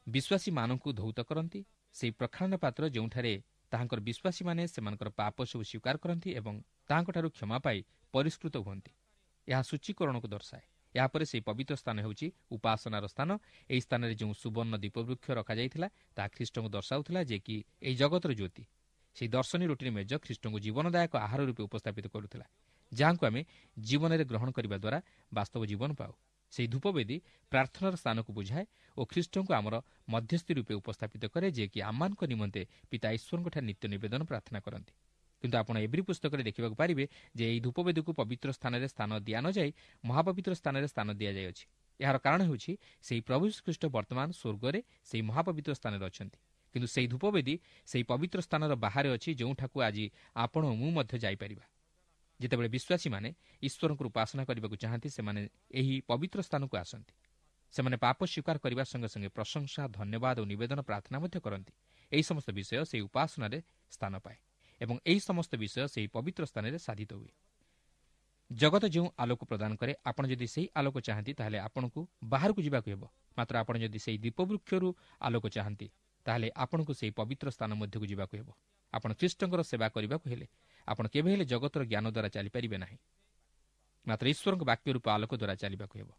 ବିଶ୍ୱାସୀମାନଙ୍କୁ ଧୌତ କରନ୍ତି। ସେହି ପ୍ରକ୍ଷାଳନ ପାତ୍ର ଯେଉଁଠାରେ ତାହାଙ୍କର ବିଶ୍ୱାସୀମାନେ ସେମାନଙ୍କର ପାପ ସବୁ ସ୍ୱୀକାର କରନ୍ତି ଏବଂ ତାହାଙ୍କଠାରୁ କ୍ଷମା ପାଇ ପରିଷ୍କୃତ ହୁଅନ୍ତି। ଏହା ସୂଚୀକରଣକୁ ଦର୍ଶାଏ। ଏହାପରେ ସେହି ପବିତ୍ର ସ୍ଥାନ ହେଉଛି ଉପାସନାର ସ୍ଥାନ। ଏହି ସ୍ଥାନରେ ଯେଉଁ ସୁବର୍ଣ୍ଣ ଦୀପବୃକ୍ଷ ରଖାଯାଇଥିଲା ତାହା ଖ୍ରୀଷ୍ଟଙ୍କୁ ଦର୍ଶାଉଥିଲା, ଯେ କି ଏହି ଜଗତର ଜ୍ୟୋତି। ସେହି ଦର୍ଶନୀ ରୋଟିର ମେଜ ଖ୍ରୀଷ୍ଟଙ୍କୁ ଜୀବନଦାୟକ ଆହାର ରୂପେ ଉପସ୍ଥାପିତ କରୁଥିଲା, ଯାହାଙ୍କୁ ଆମେ ଜୀବନରେ ଗ୍ରହଣ କରିବା ଦ୍ୱାରା ବାସ୍ତବ ଜୀବନ ପାଉ। ସେହି ଧୂପବେଦୀ ପ୍ରାର୍ଥନାର ସ୍ଥାନକୁ ବୁଝାଏ ଓ ଖ୍ରୀଷ୍ଟଙ୍କୁ ଆମର ମଧ୍ୟସ୍ଥି ରୂପେ ଉପସ୍ଥାପିତ କରେ, ଯିଏକି ଆମମାନଙ୍କ ନିମନ୍ତେ ପିତା ଈଶ୍ୱରଙ୍କଠାରେ ନିତ୍ୟ ନିବେଦନ ପ୍ରାର୍ଥନା କରନ୍ତି। କିନ୍ତୁ ଆପଣ ଏବ୍ରୀ ପୁସ୍ତକରେ ଦେଖିବାକୁ ପାରିବେ ଯେ ଏହି ଧୂପବେଦୀକୁ ପବିତ୍ର ସ୍ଥାନରେ ସ୍ଥାନ ଦିଆନଯାଇ ମହାପବିତ୍ର ସ୍ଥାନରେ ସ୍ଥାନ ଦିଆଯାଇଅଛି। ଏହାର କାରଣ ହେଉଛି ସେହି ପ୍ରଭୁ ଖ୍ରୀଷ୍ଟ ବର୍ତ୍ତମାନ ସ୍ୱର୍ଗରେ ସେହି ମହାପବିତ୍ର ସ୍ଥାନରେ ଅଛନ୍ତି, କିନ୍ତୁ ସେହି ଧୂପବେଦୀ ସେହି ପବିତ୍ର ସ୍ଥାନର ବାହାରେ ଅଛି, ଯେଉଁଠାକୁ ଆଜି ଆପଣ ଓ ମୁଁ ମଧ୍ୟ ଯାଇପାରିବା। ଯେତେବେଳେ ବିଶ୍ୱାସୀମାନେ ଈଶ୍ୱରଙ୍କୁ ଉପାସନା କରିବାକୁ ଚାହାନ୍ତି, ସେମାନେ ଏହି ପବିତ୍ର ସ୍ଥାନକୁ ଆସନ୍ତି। ସେମାନେ ପାପ ସ୍ୱୀକାର କରିବା ସଙ୍ଗେ ସଙ୍ଗେ ପ୍ରଶଂସା, ଧନ୍ୟବାଦ ଓ ନିବେଦନ ପ୍ରାର୍ଥନା ମଧ୍ୟ କରନ୍ତି। ଏହି ସମସ୍ତ ବିଷୟ ସେହି ଉପାସନାରେ ସ୍ଥାନ ପାଏ ଏବଂ ଏହି ସମସ୍ତ ବିଷୟ ସେହି ପବିତ୍ର ସ୍ଥାନରେ ସାଧିତ ହୁଏ। ଜଗତ ଯେଉଁ ଆଲୋକ ପ୍ରଦାନ କରେ, ଆପଣ ଯଦି ସେହି ଆଲୋକ ଚାହାନ୍ତି ତାହେଲେ ଆପଣଙ୍କୁ ବାହାରକୁ ଯିବାକୁ ହେବ। ମାତ୍ର ଆପଣ ଯଦି ସେହି ଦୀପବୃକ୍ଷରୁ ଆଲୋକ ଚାହାନ୍ତି ତାହେଲେ ଆପଣଙ୍କୁ ସେହି ପବିତ୍ର ସ୍ଥାନ ମଧ୍ୟକୁ ଯିବାକୁ ହେବ। ଆପଣ ଖ୍ରୀଷ୍ଟଙ୍କର ସେବା କରିବାକୁ ହେଲେ ଆପଣ କେବେ ହେଲେ ଜଗତର ଜ୍ଞାନ ଦ୍ୱାରା ଚାଲିପାରିବେ ନାହିଁ, ମାତ୍ର ଈଶ୍ୱରଙ୍କ ବାକ୍ୟ ରୂପ ଆଲୋକ ଦ୍ୱାରା ଚାଲିବାକୁ ହେବ।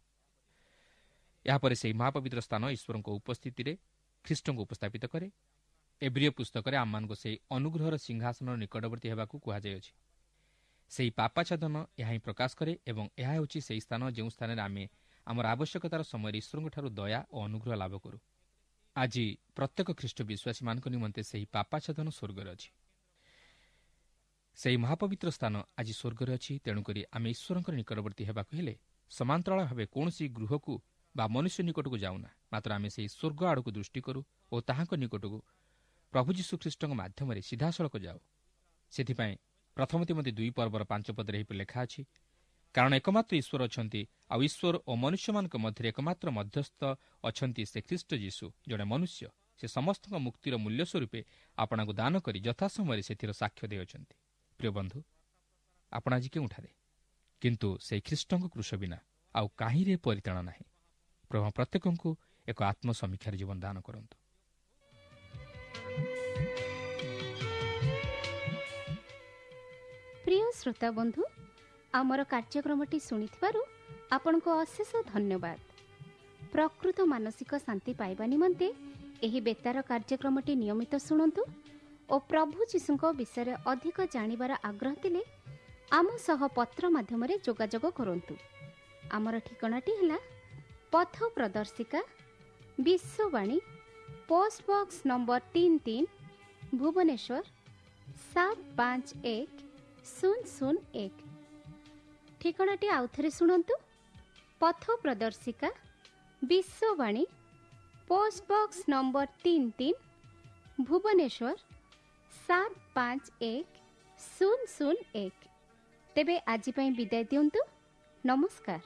ଏହାପରେ ସେହି ମହାପବିତ୍ର ସ୍ଥାନ ଈଶ୍ୱରଙ୍କ ଉପସ୍ଥିତିରେ ଖ୍ରୀଷ୍ଟଙ୍କୁ ଉପସ୍ଥାପିତ କରେ। ଏବ୍ରୀୟ ପୁସ୍ତକରେ ଆମମାନଙ୍କୁ ସେହି ଅନୁଗ୍ରହର ସିଂହାସନର ନିକଟବର୍ତ୍ତୀ ହେବାକୁ କୁହାଯାଇଅଛି। ସେହି ପାପାଚ୍ଛାଦନ ଏହା ହିଁ ପ୍ରକାଶ କରେ ଏବଂ ଏହା ହେଉଛି ସେହି ସ୍ଥାନ ଯେଉଁ ସ୍ଥାନରେ ଆମେ ଆମର ଆବଶ୍ୟକତାର ସମୟରେ ଈଶ୍ୱରଙ୍କଠାରୁ ଦୟା ଓ ଅନୁଗ୍ରହ ଲାଭ କରୁ। ଆଜି ପ୍ରତ୍ୟେକ ଖ୍ରୀଷ୍ଟ ବିଶ୍ୱାସୀମାନଙ୍କ ନିମନ୍ତେ ସେହି ପାପାଚ୍ଛାଦନ ସ୍ୱର୍ଗରେ ଅଛି। ସେହି ମହାପବିତ୍ର ସ୍ଥାନ ଆଜି ସ୍ୱର୍ଗରେ ଅଛି। ତେଣୁକରି ଆମେ ଈଶ୍ୱରଙ୍କର ନିକଟବର୍ତ୍ତୀ ହେବାକୁ ହେଲେ ସମାନ୍ତରାଳ ଭାବେ କୌଣସି ଗୃହକୁ ବା ମନୁଷ୍ୟ ନିକଟକୁ ଯାଉନା, ମାତ୍ର ଆମେ ସେହି ସ୍ୱର୍ଗ ଆଡ଼କୁ ଦୃଷ୍ଟି କରୁ ଓ ତାହାଙ୍କ ନିକଟକୁ ପ୍ରଭୁ ଯୀଶୁଖ୍ରୀଷ୍ଟଙ୍କ ମାଧ୍ୟମରେ ସିଧାସଳଖ ଯାଉ। ସେଥିପାଇଁ ପ୍ରଥମ ତୀମଥି ଦୁଇ ପର୍ବର ପାଞ୍ଚ ପଦରେ ଏହିପରି ଲେଖା ଅଛି, କାରଣ ଏକମାତ୍ର ଈଶ୍ୱର ଅଛନ୍ତି, ଆଉ ଈଶ୍ୱର ଓ ମନୁଷ୍ୟମାନଙ୍କ ମଧ୍ୟରେ ଏକମାତ୍ର ମଧ୍ୟସ୍ଥ ଅଛନ୍ତି, ସେ ଖ୍ରୀଷ୍ଟ ଯୀଶୁ, ଜଣେ ମନୁଷ୍ୟ। ସେ ସମସ୍ତଙ୍କ ମୁକ୍ତିର ମୂଲ୍ୟ ସ୍ୱରୂପେ ଆପଣଙ୍କୁ ଦାନ କରି ଯଥାସମୟରେ ସେଥିର ସାକ୍ଷ୍ୟ ଦେଇଅଛନ୍ତି। ପ୍ରିୟ ବନ୍ଧୁ, ଆପଣ ଆଜି କେଉଁଠାରେ? କିନ୍ତୁ ସେହି ଖ୍ରୀଷ୍ଟଙ୍କ କ୍ରୁଶ ବିନା ଆଉ କାହିଁରେ ପରିତ୍ରାଣ ନାହିଁ। ପ୍ରଭୁ ପ୍ରତ୍ୟେକଙ୍କୁ ଏକ ଆତ୍ମସମୀକ୍ଷାର ଜୀବନ ଦାନ କରନ୍ତୁ। ପ୍ରିୟ ଶ୍ରୋତା ବନ୍ଧୁ, ଆମର କାର୍ଯ୍ୟକ୍ରମଟି ଶୁଣିଥିବାରୁ ଆପଣଙ୍କୁ ଅଶେଷ ଧନ୍ୟବାଦ। ପ୍ରକୃତ ମାନସିକ ଶାନ୍ତି ପାଇବା ନିମନ୍ତେ ଏହି ବେତାର କାର୍ଯ୍ୟକ୍ରମଟି ନିୟମିତ ଶୁଣନ୍ତୁ ଓ ପ୍ରଭୁ ଯୀଶୁଙ୍କ ବିଷୟରେ ଅଧିକ ଜାଣିବାର ଆଗ୍ରହ ଥିଲେ ଆମ ସହ ପତ୍ର ମାଧ୍ୟମରେ ଯୋଗାଯୋଗ କରନ୍ତୁ। ଆମର ଠିକଣାଟି ହେଲା ପଥ ପ୍ରଦର୍ଶିକା, ବିଶ୍ୱବାଣୀ, ପୋଷ୍ଟ ବକ୍ସ ନମ୍ବର ତିନି ତିନି, ଭୁବନେଶ୍ୱର ସାତ ପାଞ୍ଚ ଏକ ଶୂନ ଶୂନ ଏକ। ଠିକଣାଟି ଆଉଥରେ ଶୁଣନ୍ତୁ, ପଥ ପ୍ରଦର୍ଶିକା, ବିଶ୍ୱବାଣୀ, ପୋଷ୍ଟ ବକ୍ସ ନମ୍ବର ତିନି ତିନି, ଭୁବନେଶ୍ୱର ସାତ ପାଞ୍ଚ ଏକ ଶୂନ ଶୂନ ଏକ। ତେବେ ଆଜି ପାଇଁ ବିଦାୟ ଦିଅନ୍ତୁ। ନମସ୍କାର।